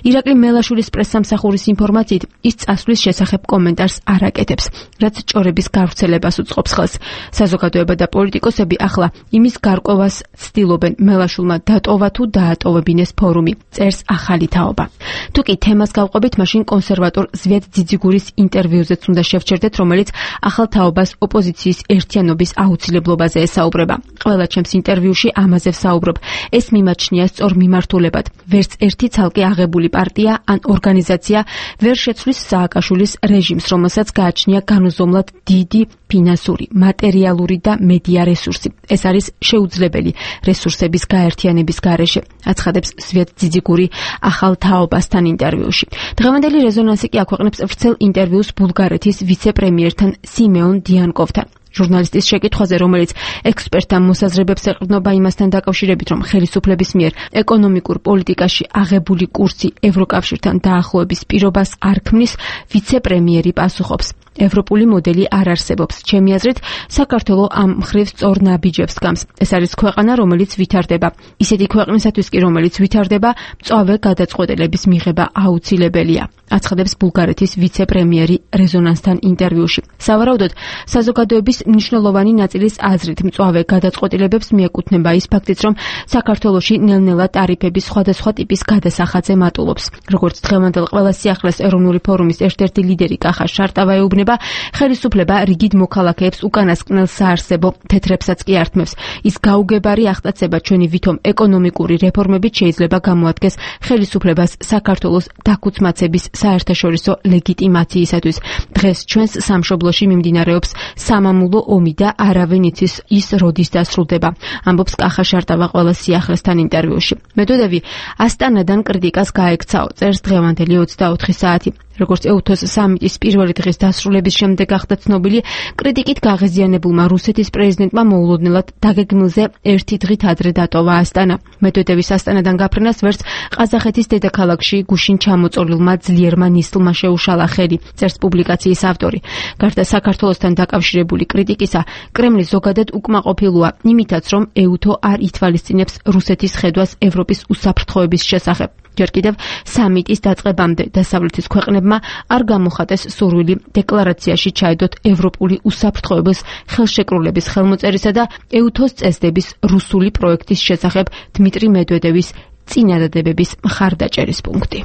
ირაკლი მელაშვილის პრესსამსახურის ინფორმაციით, ის წასვლის შესახებ კომენტარს არ აკეთებს, რაც ჭორების გავრცელებას უწყობს ხელს. საზოგადოება და პოლიტიკოსები ახლა იმის გარკვევას ცდილობენ, მელაშვილმა დატოვა თუ დაატოვებინეს ფორუმი, წერს ახალი თაობა. თუ კი თემას გავყვებით, მაშინ კონსერვატორ ზვიად ძიძიგურის ინტერვიუზეც უნდა შევჩერდეთ, რომელიც ახალ თაობას ოპოზიციის ერთიანობის აუცილებლობაზე ესაუბრება. ყველა ჩემს ინტერვიუში ამაზე ვსაუბრობ. ეს მიმაჩნია სწორ მიმართულებად. ვერც ერთი ცალკე აღებული პარტია ან ორგანიზაცია ვერ შეცვლის სააკაშვილის რეჟიმს, რომელსაც გააჩნია განუზომლად დიდი ფინანსური, მატერიალური და მედია რესურსი. ეს არის შეუძლებელი რესურსების გაერთიანების გარეშე, აცხადებს ზვიად ძიძიგური ახალ თაობასთან ინტერვიუში. დღევანდელი რეზონანსი კი აქვეყნებს ვრცელ ინტერვიუს ბულგარეთის ვიცე-პრემიერთან სიმეონ დიანკოვთან. ჟურნალისტის შეკითხვაზე, რომელიც ექსპერტთა მოსაზრებებს ეყრდნობა იმასთან დაკავშირებით, რომ ხელისუფლების მიერ ეკონომიკურ პოლიტიკაში აღებული კურსი ევროკავშირთან დაახლოების პირობას არ ქმნის, ვიცე-პრემიერი პასუხობს: ევროპული მოდელი არ არსებობს. ჩემი აზრით, საქართველო ამ მხრივ სწორ ნაბიჯებს გამს. ეს არის ქვეყანა, რომელიც ვითარდება. ისეთი ქვეყნისათვის კი, რომელიც ვითარდება, მწვავე გადაწყვეტილების მიღება აუცილებელია, აცხადებს ბულგარეთის ვიცე-პრემიერი რეზონანსთან ინტერვიუში. სავარაუდოდ, საზოგადოების მნიშვნელოვანი ნაწილის აზრით მწვავე გადაწყვეტილებებს მიეკუთვნება ის ფაქტიც, რომ საქართველოში ნელ-ნელა ტარიფების სხვადასხვა ტიპის გადასახადზე მატულობს. როგორც დღევანდელ ყველა სიახლეს ეროვნული ფორუმის ერთ-ერთი ლიდერი კახა შარტავა ეუბნება, ხელისუფლება რიგით მოქალაქეებს უკანასკნელ საარსებო თეთრებსაც კი ართმევს. ის გაუგებარი ახტაცება ჩვენი ვითომ ეკონომიკური რეფორმებით შეიძლება გამოადგეს ხელისუფლებას საქართველოს დაქუცმაცების საერთაშორისო ლეგიტიმაციისათვის. დღეს ჩვენს სამშობლოში მიმდინარეობს სამამულო ომი და არავინ იცის ის როდის დასრულდება, ამბობს კახა შარტავა ყველა სიახლესთან ინტერვიუში. მეთოდები ასტანადან კრიტიკას გაექცაო, წერს დღევანდელი ოცდაოთხი საათი. როგორც ეუთოს სამიტის პირველი დღის დასრულების შემდეგ გახდა ცნობილი, კრიტიკით გაღიზიანებულმა რუსეთის პრეზიდენტმა მოულოდნელად დაგეგმილზე ერთი დღით ადრე დატოვა ასტანა. მეთოდების ასტანადან გაფრენას ვერც ყაზახეთის დედაქალაქში გუშინ ჩამოწოლილმა ძლიერმა ნისლმა შეუშალა ხელი, წერს პუბლიკაციის ავტორი. გარდა საქართველოსთან დაკავშირებული კრიტიკისა, კრემლი ზოგადად უკმაყოფილოა იმითაც, რომ ეუთო არ ითვალისწინებს რუსეთის ხედვას ევროპის უსაფრთხოების შესახებ. ჯერ კიდევ სამიტის დაწყებამდე დასავლეთის ქვეყნებმა არ გამოხატეს სურვილი დეკლარაციაში ჩაედოთ ევროპული უსაფრთხოების ხელშეკრულების ხელმოწერისა და ეუთოს წესდების რუსული პროექტის შესახებ დმიტრი მედვედევის წინადადებების მხარდაჭერის პუნქტი.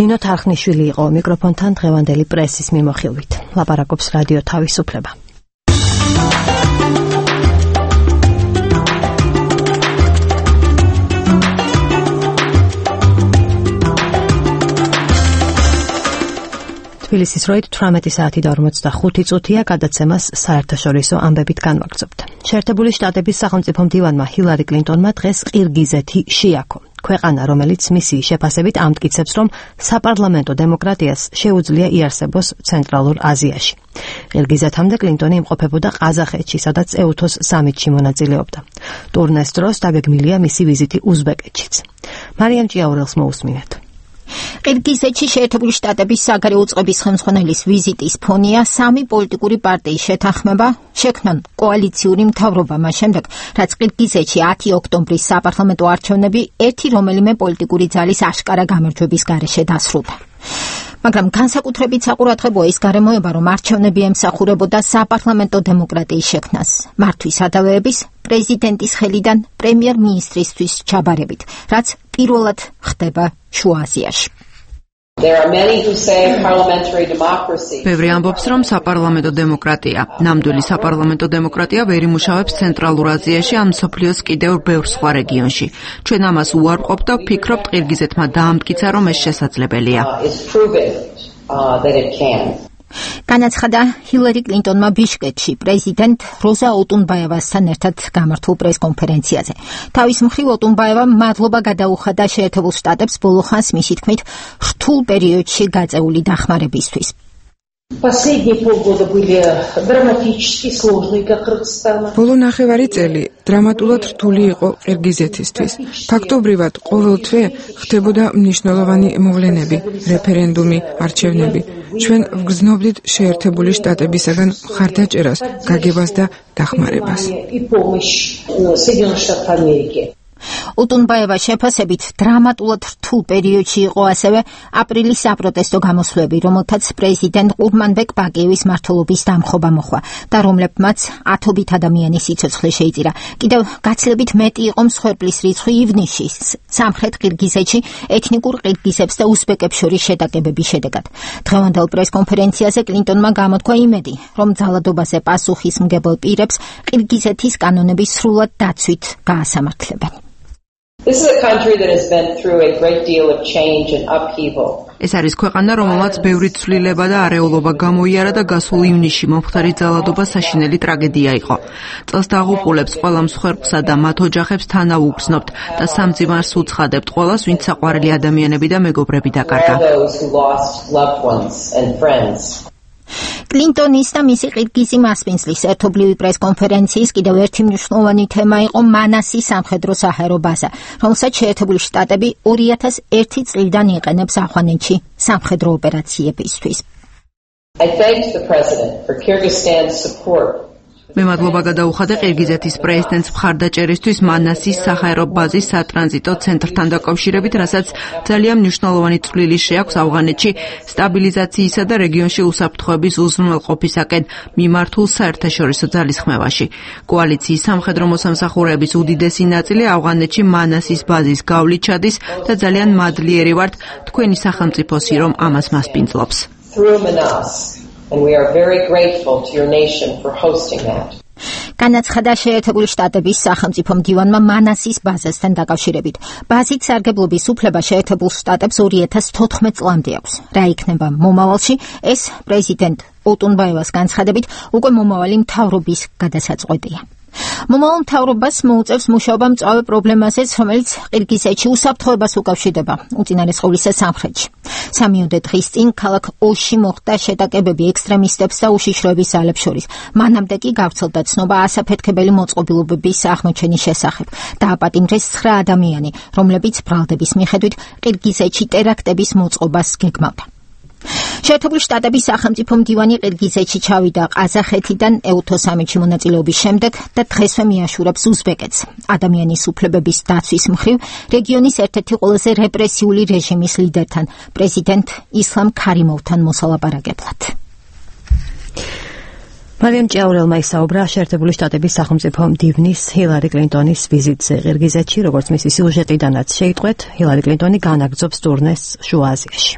ნინო თარხნიშვილი იყო მიკროფონთან დღევანდელი პრესის მიმოხილვით. ლაპარაკობს რადიო თავისუფლება. თბილისის როით თვრამეტი საათი და ორმოცდახუთი წუთია, გადაცემას საერთაშორისო ამბებით განვაგრძობთ. შეერთებული შტატების სახელმწიფო მდივანმა ჰილარი კლინტონმა დღეს ყირგიზეთი შეაქო. ქვეყანა, რომელიც მისი შეფასებით ამტკიცებს, რომ საპარლამენტო დემოკრატიას შეუძლია იარსებოს ცენტრალურ აზიაში. ყირგიზეთამდე კლინტონი იმყოფებოდა ყაზახეთში, სადაც ეუთოს სამიტში მონაწილეობდა. ტურნეს დროს დაგეგმილია მისი ვიზიტი უზბეკეთშიც. მარიამ ჭიაურელს მოусმინეთ. ყირგიზეთში შეერთებული შტატების საგარეო უწყების ხელმძღვანელის ვიზიტის ფონია სამი პოლიტიკური პარტიის შეთანხმება შექმნან კოალიციური მთავრობა მას შემდეგ, რაც ყირგიზეთში ათი ოქტომბრის საპარლამენტო არჩევნები ერთი რომელიმე პოლიტიკური ძალის აშკარა გამარჯვების გარეშე დასრულდა. მაგრამ განსაკუთრებით საყურადღებოა ის გარემოება, რომ არჩევნები ემსახურებოდა საპარლამენტო დემოკრატიის შექმნას, მართვის სადავეების პრეზიდენტის ხელიდან პრემიერ-მინისტრისთვის ჩაბარებით, რაც პირველად ხდება შუა აზიაში. ბევრი ამბობს, რომ საპარლამენტო დემოკრატია, ნამდვილი საპარლამენტო დემოკრატია ვერ იმუშავებს ცენტრალურ აზიაში ან მსოფლიოს კიდევ ბევრ სხვა რეგიონში. ჩვენ ამას უარყოფთ და ვფიქრობთ, ყირგიზეთმა დაამტკიცა, რომ ეს შესაძლებელია. განაცხადა ჰილარი კლინტონმა ბიშკეკში პრეზიდენტ როზა ოტუნბაევასთან ერთად გამართულ პრესკონფერენციაზე. თავის მხრივ ოტუნბაევამ მადლობა გადაუხადა შეერთებულ შტატებს ბოლო ხანს მისი თქმით რთულ პერიოდში გაწეული დახმარებისთვის. ბოლო ნახევარი წელი დრამატულად რთული იყო ყირგიზეთისთვის. ფაქტობრივად ყოველ თვე ხდებოდა მნიშვნელოვანი მოვლენები, რეფერენდუმი, არჩევნები. ჩვენ ვგრძნობდით შეერთებული შტატებისაგან მხარდაჭერას, გაგებას და დახმარებას. უტუნბაევას შეფასებით დრამატულად რთულ პერიოდში იყო ასევე აპრილის საპროტესტო გამოსვლები, რომელთაც პრეზიდენტ ყურმანბეკ ბაკიევის მმართველობის დამხობა მოხდა და რომლებმაც ათობით ადამიანის სიცოცხლე შეიწირა. კიდევ გაცილებით მეტი იყო მსხვერპლის რიცხვი ივნისში სამხრეთ ყირგიზეთში ეთნიკურ ყირგიზებს და უზბეკებს შორის შეტაკებების შედეგად. დღევანდელ პრესკონფერენციაზე კლინტონმა გამოთქვა იმედი, რომ ძალადობაზე პასუხისმგებელ პირებს ყირგიზეთის კანონების სრულად დაცვით გაასამართლებენ. This is a country that has been through a great deal of change and upheaval. ეს არის ქვეყანა, რომელმაც ბევრი ცვლილება და არეულობა გამოიარა და გასულ ივნისში მომხდარი ძალადობა საშინელი ტრაგედია იყო. წელს დაღუპულებს, ყველა მსხვერპლსა და მათ ოჯახებს თანაუგრძნობთ და სამძიმარს უცხადებთ ყველას, ვინც საყვარელი ადამიანები და მეგობრები დაკარგა. კლინტონის და მისი ყირგიზი მასპინძლის ერთობლივი პრესკონფერენციის კიდევ ერთი მნიშვნელოვანი თემა იყო მანასის სამხედრო საჰაერო ბაზა, რომელსაც შეერთებული შტატები ორი ათას ერთი წლიდან იყენებს ახალგაზრდებში სამხედრო ოპერაციებისთვის. I thanked the president for Kyrgyzstan's support. მე მადლობა გადაუხადა ყირგიზეთის პრეზიდენტს მხარდაჭერისთვის მანასის საჰაერო ბაზის სატრანზიტო ცენტრთან დაკავშირებით, რასაც ძალიან მნიშვნელოვანი წვლილი შეაქვს ავღანეთში სტაბილიზაციისა და რეგიონში უსაფრთხოების უზრუნველყოფისაკენ მიმართულ საერთაშორისო ძალისხმევაში. კოალიციის სამხედრო მოსამსახურეების უდიდესი ნაწილი ავღანეთში მანასის ბაზის გავლით ჩადის და ძალიან მადლიერი ვართ თქვენი სახელმწიფოსი, რომ ამას მასპინძლობს. Through Manas. And we are very grateful to your nation for hosting that. განაცხადა შეერთებული შტატების სახელმწიფო მდივანმა მანასის ბაზასთან დაკავშირებით. ბაზით სარგებლობის უფლება შეერთებულ შტატებს ორი ათას თოთხმეტ წლამდე აქვს. რა იქნება მომავალში? ეს პრეზიდენტ ოტუნბაევას განცხადებით უკვე მომავალი მთავრობის გადასაწყვეტია. მომავალ მთავრობას მოუწევს მუშაობა მწვავე პრობლემაზეც, რომელიც ყირგიზეთში უსაფრთხოებას უკავშირდება, უწინარესყოვლისა სამხრეთში. სამიოდე დღის წინ ქალაქ ოში მოხდა შეტაკებები ექსტრემისტებს და უშიშროების ძალებს შორის. მანამდე კი გავრცელდა ცნობა ასაფეთქებელი მოწყობილობების აღმოჩენის შესახებ. დააპატიმრეს ცხრა ადამიანი, რომლებიც ბრალდების მიხედვით ყირგიზეთში ტერაქტების მოწყობას გეგმავდა. შეერთებული შტატების სახელმწიფო მდივანი ყირგიზეთში ჩავიდა ყაზახეთიდან ეუთო სამიტში მონაწილეობის შემდეგ და დღესვე მიაშურებს უზბეკეთს. ადამიანის უფლებების დაცვის მხრივ რეგიონის ერთ-ერთი ყველაზე რეპრესიული რეჟიმის ლიდერთან, პრეზიდენტ ისლამ ქარიმოვთან მოსალაპარაკებლად. მარიამ ჭიაურელმა ისაუბრა შეერთებული შტატების სახელმწიფო მდივნის ჰილარი კლინტონის ვიზიტზე ყირგიზეთში, როგორც მისი სიუჟეტიდანაც შეიტყვეთ, ჰილარი კლინტონი განაგრძობს ტურნეს შუა აზიაში.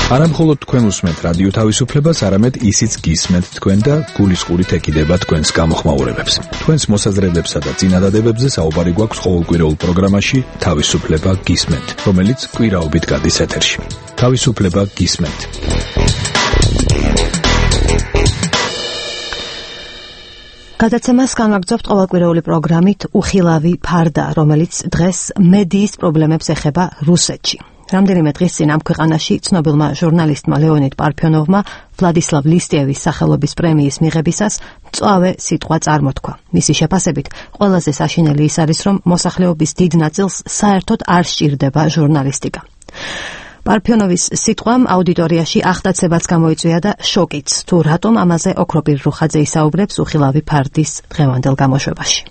არა მხოლოდ თქვენ უსმენთ რადიო თავისუფლებას, არამედ ისიც გისმენთ თქვენ და გულისყურით ეკიდება თქვენს გამოხმაურებებს. თქვენს მოსაზრებებსა და წინადადებებზე საუბარი გვაქვს ყოველკვირეულ პროგრამაში თავისუფლება გისმენთ, რომელიც კვირაობით გადის ეთერში. თავისუფლება გისმენთ. გადაცემას განაგრძობთ ყოველკვირეული პროგრამით უხილავი ფარდა, რომელიც დღეს მედიის პრობლემებს ეხება რუსეთში. რამდენიმე დღის წინ ამ ქვეყანაში ცნობილმა ჟურნალისტმა ლეონიდ პარფიონოვმა ვლადისლავ ლისტიევის სახელობის პრემიის მიღებისას მწვავე სიტყვა წარმოთქვა. მისი შეფასებით, ყველაზე საშინელი ის არის, რომ მოსახლეობის დიდ ნაწილს საერთოდ არ სჭირდება ჟურნალისტიკა. პარფიონოვის სიტყვამ აუდიტორიაში ახდაცებაც გამოიწვია და შოკიც, თუ რატომ ამაზე ოქროპირ რუხაძე ისაუბრებს უხილავი ფარდის დღევანდელ გამოშვებაში.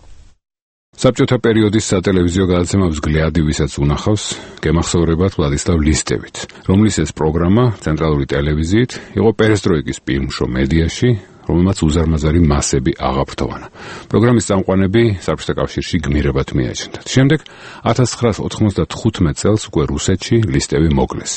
საბჭოთა პერიოდის სატელევიზიო გადაცემა „взгляды“, ვისაც უნახავს, გემახსოვრებათ ვლადისლავ ლისტევით, რომლის ეს პროგრამა ცენტრალური ტელევიზიით იყო პერესტროიკის პირმშო მედიაში, რომელმაც უზარმაზარი მასები აღაფრთოვანა. პროგრამის წამყვანები საბჭოთა კავშირში გმირებად მიაჩნდათ. შემდეგ ათას ცხრაას ოთხმოცდათხუთმეტ წელს უკვე რუსეთში ლისტევი მოკლეს.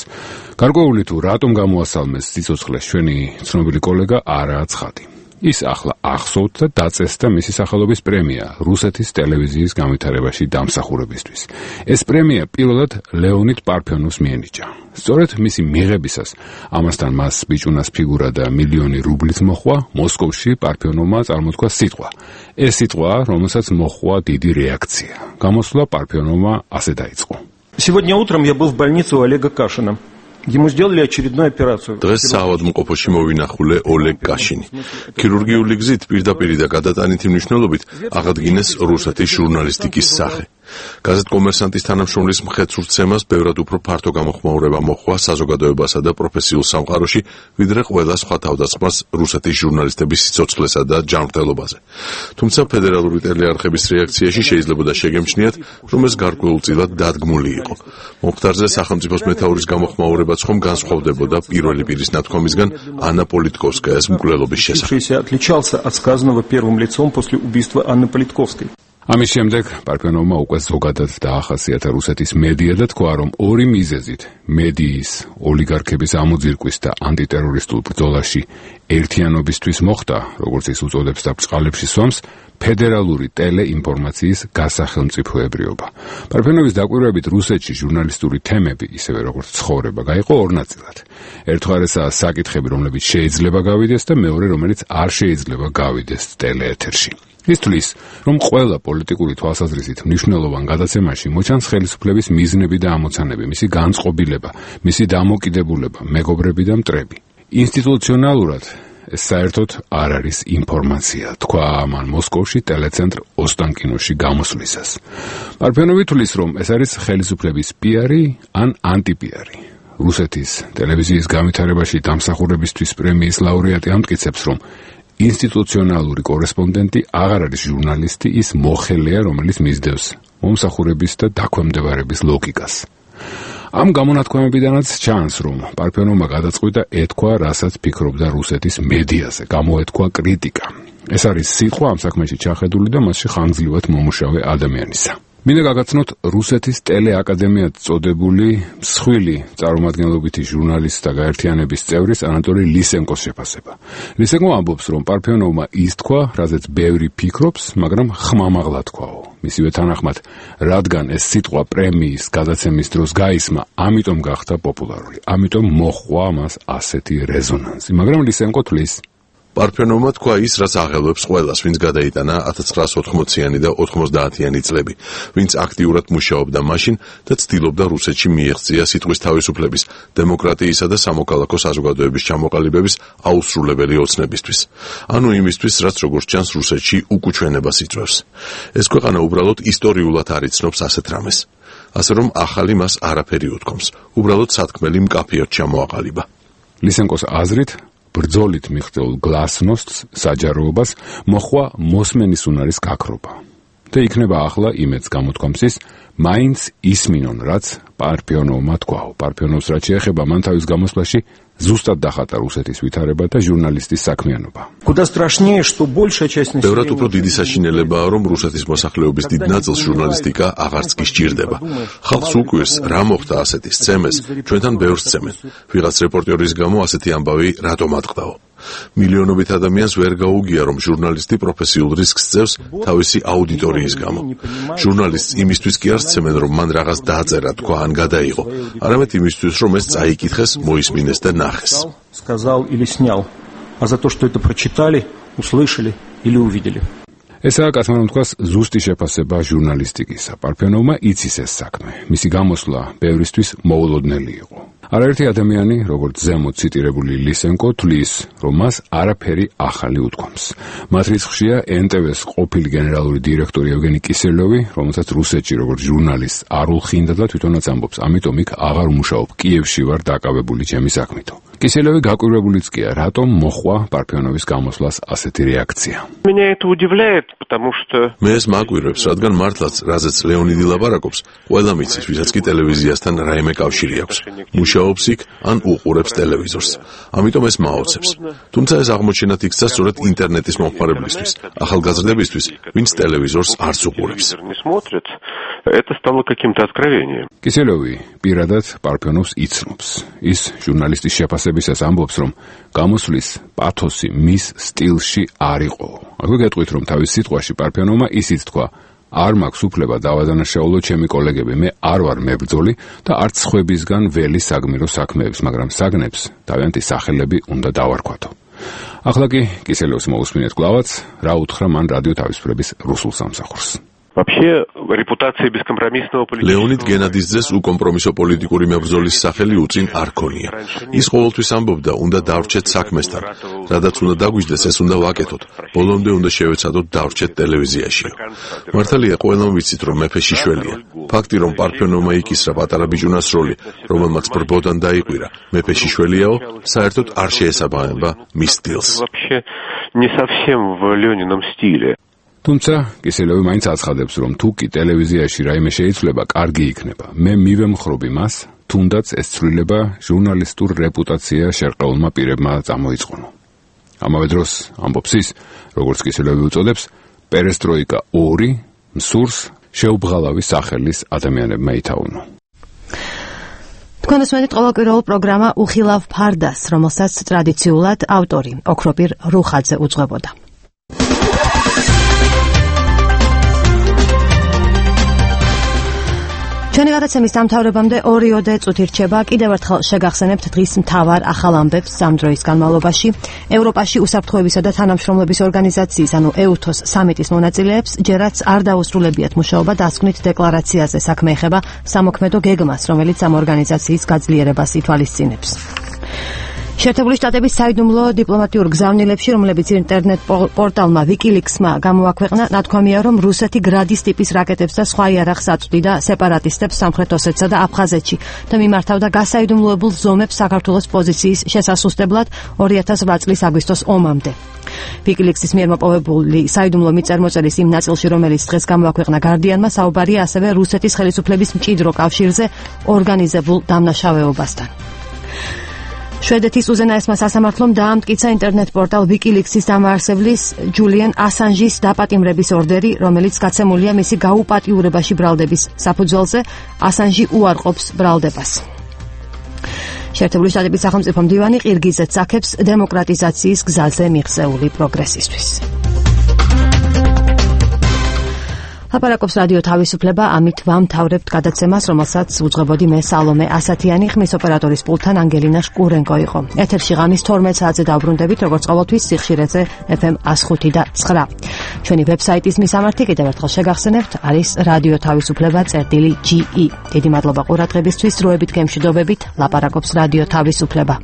გარკვეული თუ რატომ გამოასალმეს სიცოცხლეს ჩვენი ცნობილი კოლეგა არაა ცხადი. ის ახლა ახსოვთ და დაწესდა მისი სახელობის პრემია რუსეთის ტელევიზიის განვითარებაში დამსახურებისთვის. ეს პრემია პირველად ლეონიდ პარფიონოვს მიენიჭა. სწორედ მისი მიღებისას ამასთან მას ბიჭუნას ფიგურა და მილიონი რუბლით მოხვა, მოსკოვში პარფიონოვმა წარმოთქვა სიტყვა. ეს სიტყვა, რომელსაც მოხვა დიდი რეაქცია. გამოსვლა პარფიონოვმა ასე დაიწყო. Сегодня утром я был в больнице у Олега Кашина. Ему сделали очередную операцию. დღეს საავადმყოფოში მოვინახულე ოლეგ კაშინი. ქირურგიული გზით პირდაპირ და გადატანითი მნიშვნელობით აღადგინეს რუსეთის ჟურნალისტიკის სახე. გაზეთ კომერსანტის თანამშრომლის მხეცურცემას ბევრად უფრო ფართო გამოხმაურება მოხვა საზოგადოებასა და პროფესიულ სამყაროში, ვიდრე ყველა სხვა თავდასხმას რუსეთის ჟურნალისტების სიცოცხლესა და ჯანმრთელობაზე. თუმცა ფედერალური ტელეარხების რეაქციაში შეიძლებოდა შეგემჩნიათ, რომ ეს გარკვეულწილად დადგმული იყო. მომხდარზე სახელმწიფოს მეთაურის გამოხმაურებაც ხომ განსხვავდებოდა პირველი პირის ნათქვამისგან ანა პოლიტკოვსკაიას მკვლელობის შესახებ. Отличался от сказанного первым лицом после убийства Анны Политковской. ამის შემდეგ პარფიონოვმა უკვე ზოგადად დაახასიათა რუსეთის მედია და თქვა, რომ ორი მიზეზით მედიის ოლიგარქების ამოძირკვის და ანტიტერორისტულ ბრძოლაში ერთიანობისთვის მოხდა, როგორც ის უწოდებს და ბრწყალებში სვამს, ფედერალური ტელეინფორმაციის გასახელმწიფოებრიობა. პარფიონოვის დაკვირვებით რუსეთში ჟურნალისტური თემები, ისევე როგორც ცხოვრება, გაიყო ორ ნაწილად. ერთგვარესაა საკითხები, რომლებიც შეიძლება გავიდეს და მეორე, რომელიც არ შეიძლება გავიდეს ტელეეთერში. ის თვლის, რომ ყველა პოლიტიკური თვალსაზრისით მნიშვნელოვან გადაცემაში მოჩანს ხელისუფლების მიზნები და ამოცანები, მისი განწყობილება, მისი დამოკიდებულება, მეგობრები და მტრები. ინსტიტუციონალურად ეს საერთოდ არ არის ინფორმაცია, თქვა ამან მოსკოვში ტელეცენტრ ოსტანკინოში გამოსვლისას. პარფენოვი თვლის, რომ ეს არის ხელისუფლების პიარი ან ანტიპიარი. რუსეთის ტელევიზიის განვითარებაში დამსახურებისთვის პრემიის ლაურეატი ამტკიცებს, რომ ინსტიტუციონალური კორესპონდენტი აღარ არის ჟურნალისტი, ის მოხელეა, რომელიც მისდევს მომსახურების და დაქვემდებარების ლოგიკას. ამ გამონათქვამებიდანაც ჩანს, რომ პარფენოვმა გადაწყვიტა ეთქვა, რასაც ფიქრობდა რუსეთის მედიაზე, გამოეთქვა კრიტიკა. ეს არის სიტყვა ამ საქმეში ჩახედული და მასში ხანგრძლივად მომუშავე ადამიანისა. მინდა გაგაცნოთ რუსეთის ტელეაკადემიად წოდებული მსხვილი წარმომადგენლობითი ჟურნალისტთა გაერთიანების წევრის ანატოლი ლისენკოს შეფასება. ლისენკო ამბობს, რომ პარფენოვმა ის თქვა, რაზეც ბევრი ფიქრობს, მაგრამ ხმამაღლა თქვაო. მისივე თანახმად, რადგან ეს სიტყვა პრემიის გადაცემის დროს გაისმა, ამიტომ გახდა პოპულარული. ამიტომ მოჰყვა მას ასეთი რეზონანსი. მაგრამ ლისენკო თვლის, პარფენოვმა თქვა ის, რაც აღელვებს ყველას, ვინც გადაიტანა ათას ცხრაასი ოთხმოციანი და ოთხმოცდაათიანი წლები, ვინც აქტიურად მუშაობდა მაშინ და ცდილობდა რუსეთში მიეღწია სიტყვის თავისუფლების, დემოკრატიისა და სამოქალაქო საზოგადოების ჩამოყალიბების აუსრულებელი ოცნებისთვის. ანუ იმისთვის, რაც როგორც ჩანს რუსეთში უკუჩვენებას იწვევს. ეს ქვეყანა უბრალოდ ისტორიულად არ იცნობს ასეთ რამეს. ასე რომ ახალი მას არაფერი უთქვამს, უბრალოდ სათქმელი მკაფიოდ ჩამოაყალიბა. ლისენკოს აზრით, ბრძოლით მიღწეულ გლასნოსტს საჯაროობას მოხვა მოსმენის უნარის გაქრობა. და იქნება ახლა იმედს გამოთქვამს ის, მაინც ისმინონ, რაც პარფენოვმა თქვაო. პარფენოვს რაც შეეხება, მან თავის გამოსვლაში ზუსტად დახატა რუსეთის ვითარება და ჟურნალისტის საქმიანობა. ბევრად უფრო დიდი საშინელებაა, რომ რუსეთის მოსახლეობის დიდ ნაწილს ჟურნალისტიკა აღარც კი სჭირდება. ხალხს უკვირს, რა მოხდა ასეთი სცემეს, ჩვენთან ბევრს სცემენ. ვიღაც რეპორტიორის გამო ასეთი ამბავი რატომ ატყდაო? მილიონობით ადამიანს ვერ გაუგია, რომ ჟურნალისტი პროფესიულ რისკს წევს თავისი აუდიტორიის გამო. ჟურნალისტს იმისთვის კი არ სცემენ, რომ მან რაღაც დააწერა, თქვა ან გადაიღო, არამედ იმისთვის, რომ ეს წაიკითხეს, მოისმინეს და ნახეს. сказал или снял, а за то, что это прочитали, услышали или увидели. ესაა კაცმანამ თქვას ზუსტი შეფასება ჟურნალისტიკისა. პარფენოვმა იცის ეს საქმე. მისი გამოსვლა ბევრისთვის მოულოდნელი იყო. არაერთი ადამიანი, როგორც ზემოთ ციტირებული ლისენკო, თვლის, რომ მას არაფერი ახალი უთქვამს. მათ რიცხვშია ენ ტე ვეს ყოფილი გენერალური დირექტორი ევგენი კისელოვი, რომელსაც რუსეთში როგორც ჟურნალისტს არ ულხინდა და თვითონაც ამბობს, ამიტომ იქ აღარ მუშაობ, კიევში ვარ დაკავებული ჩემი საქმითო. კისელოვი გაკვირვებულიც კი არა, რატომ მოხვა პარფენოვის გამოსვლას ასეთი რეაქცია. Меня это удивляет, потому что მე ეს მაკვირვებს, რადგან მართლაც, რაზეც ლეონიდი ლაპარაკობს, ყველა მიცის, ვისაც კი ტელევიზიასთან რაიმე კავშირი აქვს. მუშაობს იქ ან უყურებს ტელევიზორს. ამიტომ ეს მაოცებს. თუმცა ეს აღმოჩენად იქცა სწორედ ინტერნეტის მომხმარებლისთვის, ახალგაზრდებისთვის, ვინც ტელევიზორს არც უყურებს. Это стало каким-то откровением. კისელოვი პირადად პარფენოვს იცნობს. ის ჟურნალისტის შეფასებისას ამბობს, რომ გამოსვლის პათოსი მის სტილში არ იყო. აქვე გეტყვით, რომ თავის სიტყვაში პარფენოვმა ისიც თქვა, არ მაქვს უფლება დავადანაშაულო ჩემი კოლეგები, მე არ ვარ მებრძოლი და არც სხვებისგან ველი საგმირო საქმეებს, მაგრამ საგნებს თავიანთი სახელები უნდა დავარქვათო. ახლა კი კისელოვს მოусმინეთ კლავაც, რა უთხრა მან რადიო თავისუფლების რუსულ სამსახურს. Вообще, репутация бескомпромиссного политического... ლეონიდ გენადიძეს უკომპრომისო პოლიტიკური მებრძოლის სახელი უწინ არ ქონია. ის ყოველთვის ამბობდა, უნდა დავრჩეთ საქმესთან. რადგან უნდა დაგვიждდეს, ეს უნდა ვაკეთოთ. ბოლომდე უნდა შევეცადოთ დავრჩეთ ტელევიზიაშიო. მართალია, ყველამ ვიცით, რომ მეფე შიშველია. ფაქტი, რომ პარფენოვმა იკისრა პატარა ბიჭუნას როლი, რომელმაც ბრბოდან დაიყვირა, მეფე შიშველიაო, საერთოდ არ შეესაბამება მის სტილს. Вообще, не совсем в Лёнином стиле. თუმცა კისელოვი მაინც აცხადებს, რომ თუ კი ტელევიზიაში რაიმე შეიცვლება, კარგი იქნება. მე მივემხრობი მას, თუნდაც ეს ცვლილება ჟურნალისტურ რეპუტაცია შერყეულმა პირებმა წამოიწყონო. ამავე დროს ამბობს ის, როგორც კისელოვი უწოდებს, პერესტროიკა ორი მსურს შეუბღალავი სახელის ადამიანებმა ითავონო. თქვენ უსმენთ ყოველკვირეულ პროგრამა უხილავ ფარდას, რომელსაც ტრადიციულად ავტორი ოქროპირ რუხაძე უძღვებოდა. ჩვენი გადაცემის დამთავრებამდე ორიოდე წუთი რჩება. კიდევ ერთხელ შეგახსენებთ დღის მთავარ ახალ ამბებს ამ დროის განმავლობაში. ევროპაში უსაფრთხოებისა და თანამშრომლობის ორგანიზაციის, ანუ ეუთოს სამიტის მონაწილეებს ჯერაც არ დაუსრულებიათ მუშაობა დასკვნით დეკლარაციაზე. საქმე ეხება სამოქმედო გეგმას, რომელიც ამ ორგანიზაციის გაძლიერებას ითვალისწინებს. შეერთებული შტატების საიდუმლო დიპლომატიურ გზავნილებში, რომლებიც ინტერნეტ პორტალმა WikiLeaks-მა გამოაქვეყნა, ნათქვამია, რომ რუსეთი გრადის ტიპის რაკეტებს და სხვა იარაღს აწვდიდა სეპარატისტებს სამხრეთ ოსეთსა და აფხაზეთში და მიმართავდა გასაიდუმლოებულ ზომებს საქართველოს პოზიციის შესასუსტებლად ორი ათას ოთხ წლის აგვისტოს ომამდე. WikiLeaks-ის მიერ მოპოვებული საიდუმლო მიწარმოწერის იმ ნაწილში, რომელიც დღეს გამოაქვეყნა Guardian-მა, საუბარია ასევე რუსეთის ხელისუფლების მჭიდრო კავშირზე ორგანიზებულ დამნაშავეობასთან. შვედეთის უზენაესმა სასამართლომ დაამტკიცა ინტერნეტ პორტალ WikiLeaks-ის დამაარსებლის ჯულიან ასანჟის დაპატიმრების ორდერი, რომელიც გაცემულია მისი გაუპატიურებაში ბრალდების საფუძველზე. ასანჟი უარყოფს ბრალდებას. შეერთებული შტატების სახელმწიფო მდივანი ყირგიზეთს აქებს დემოკრატიზაციის გზაზე მიღწეული პროგრესისთვის. ლაპარაკობს რადიო თავისუფლება, ამით ვამთავრებთ გადაცემას, რომელსაც უძღვებოდი მე სალომე ასათიანი, ხმის ოპერატორის პულტთან ანგელინა შკურენკო იყო. ეთერში ღამის თორმეტ საათზე დავბრუნდებით, როგორც ყოველთვის სიხშირეზე ეფ ემ one oh five და nine. ჩვენი ვებსაიტის მისამართი კიდევ ერთხელ შეგახსენებთ, არის რადიო თავისუფლება წერტილი ჯი ი. დიდი მადლობა ყურადღებისთვის, დროებით გემშვიდობებით, ლაპარაკობს რადიო თავისუფლება.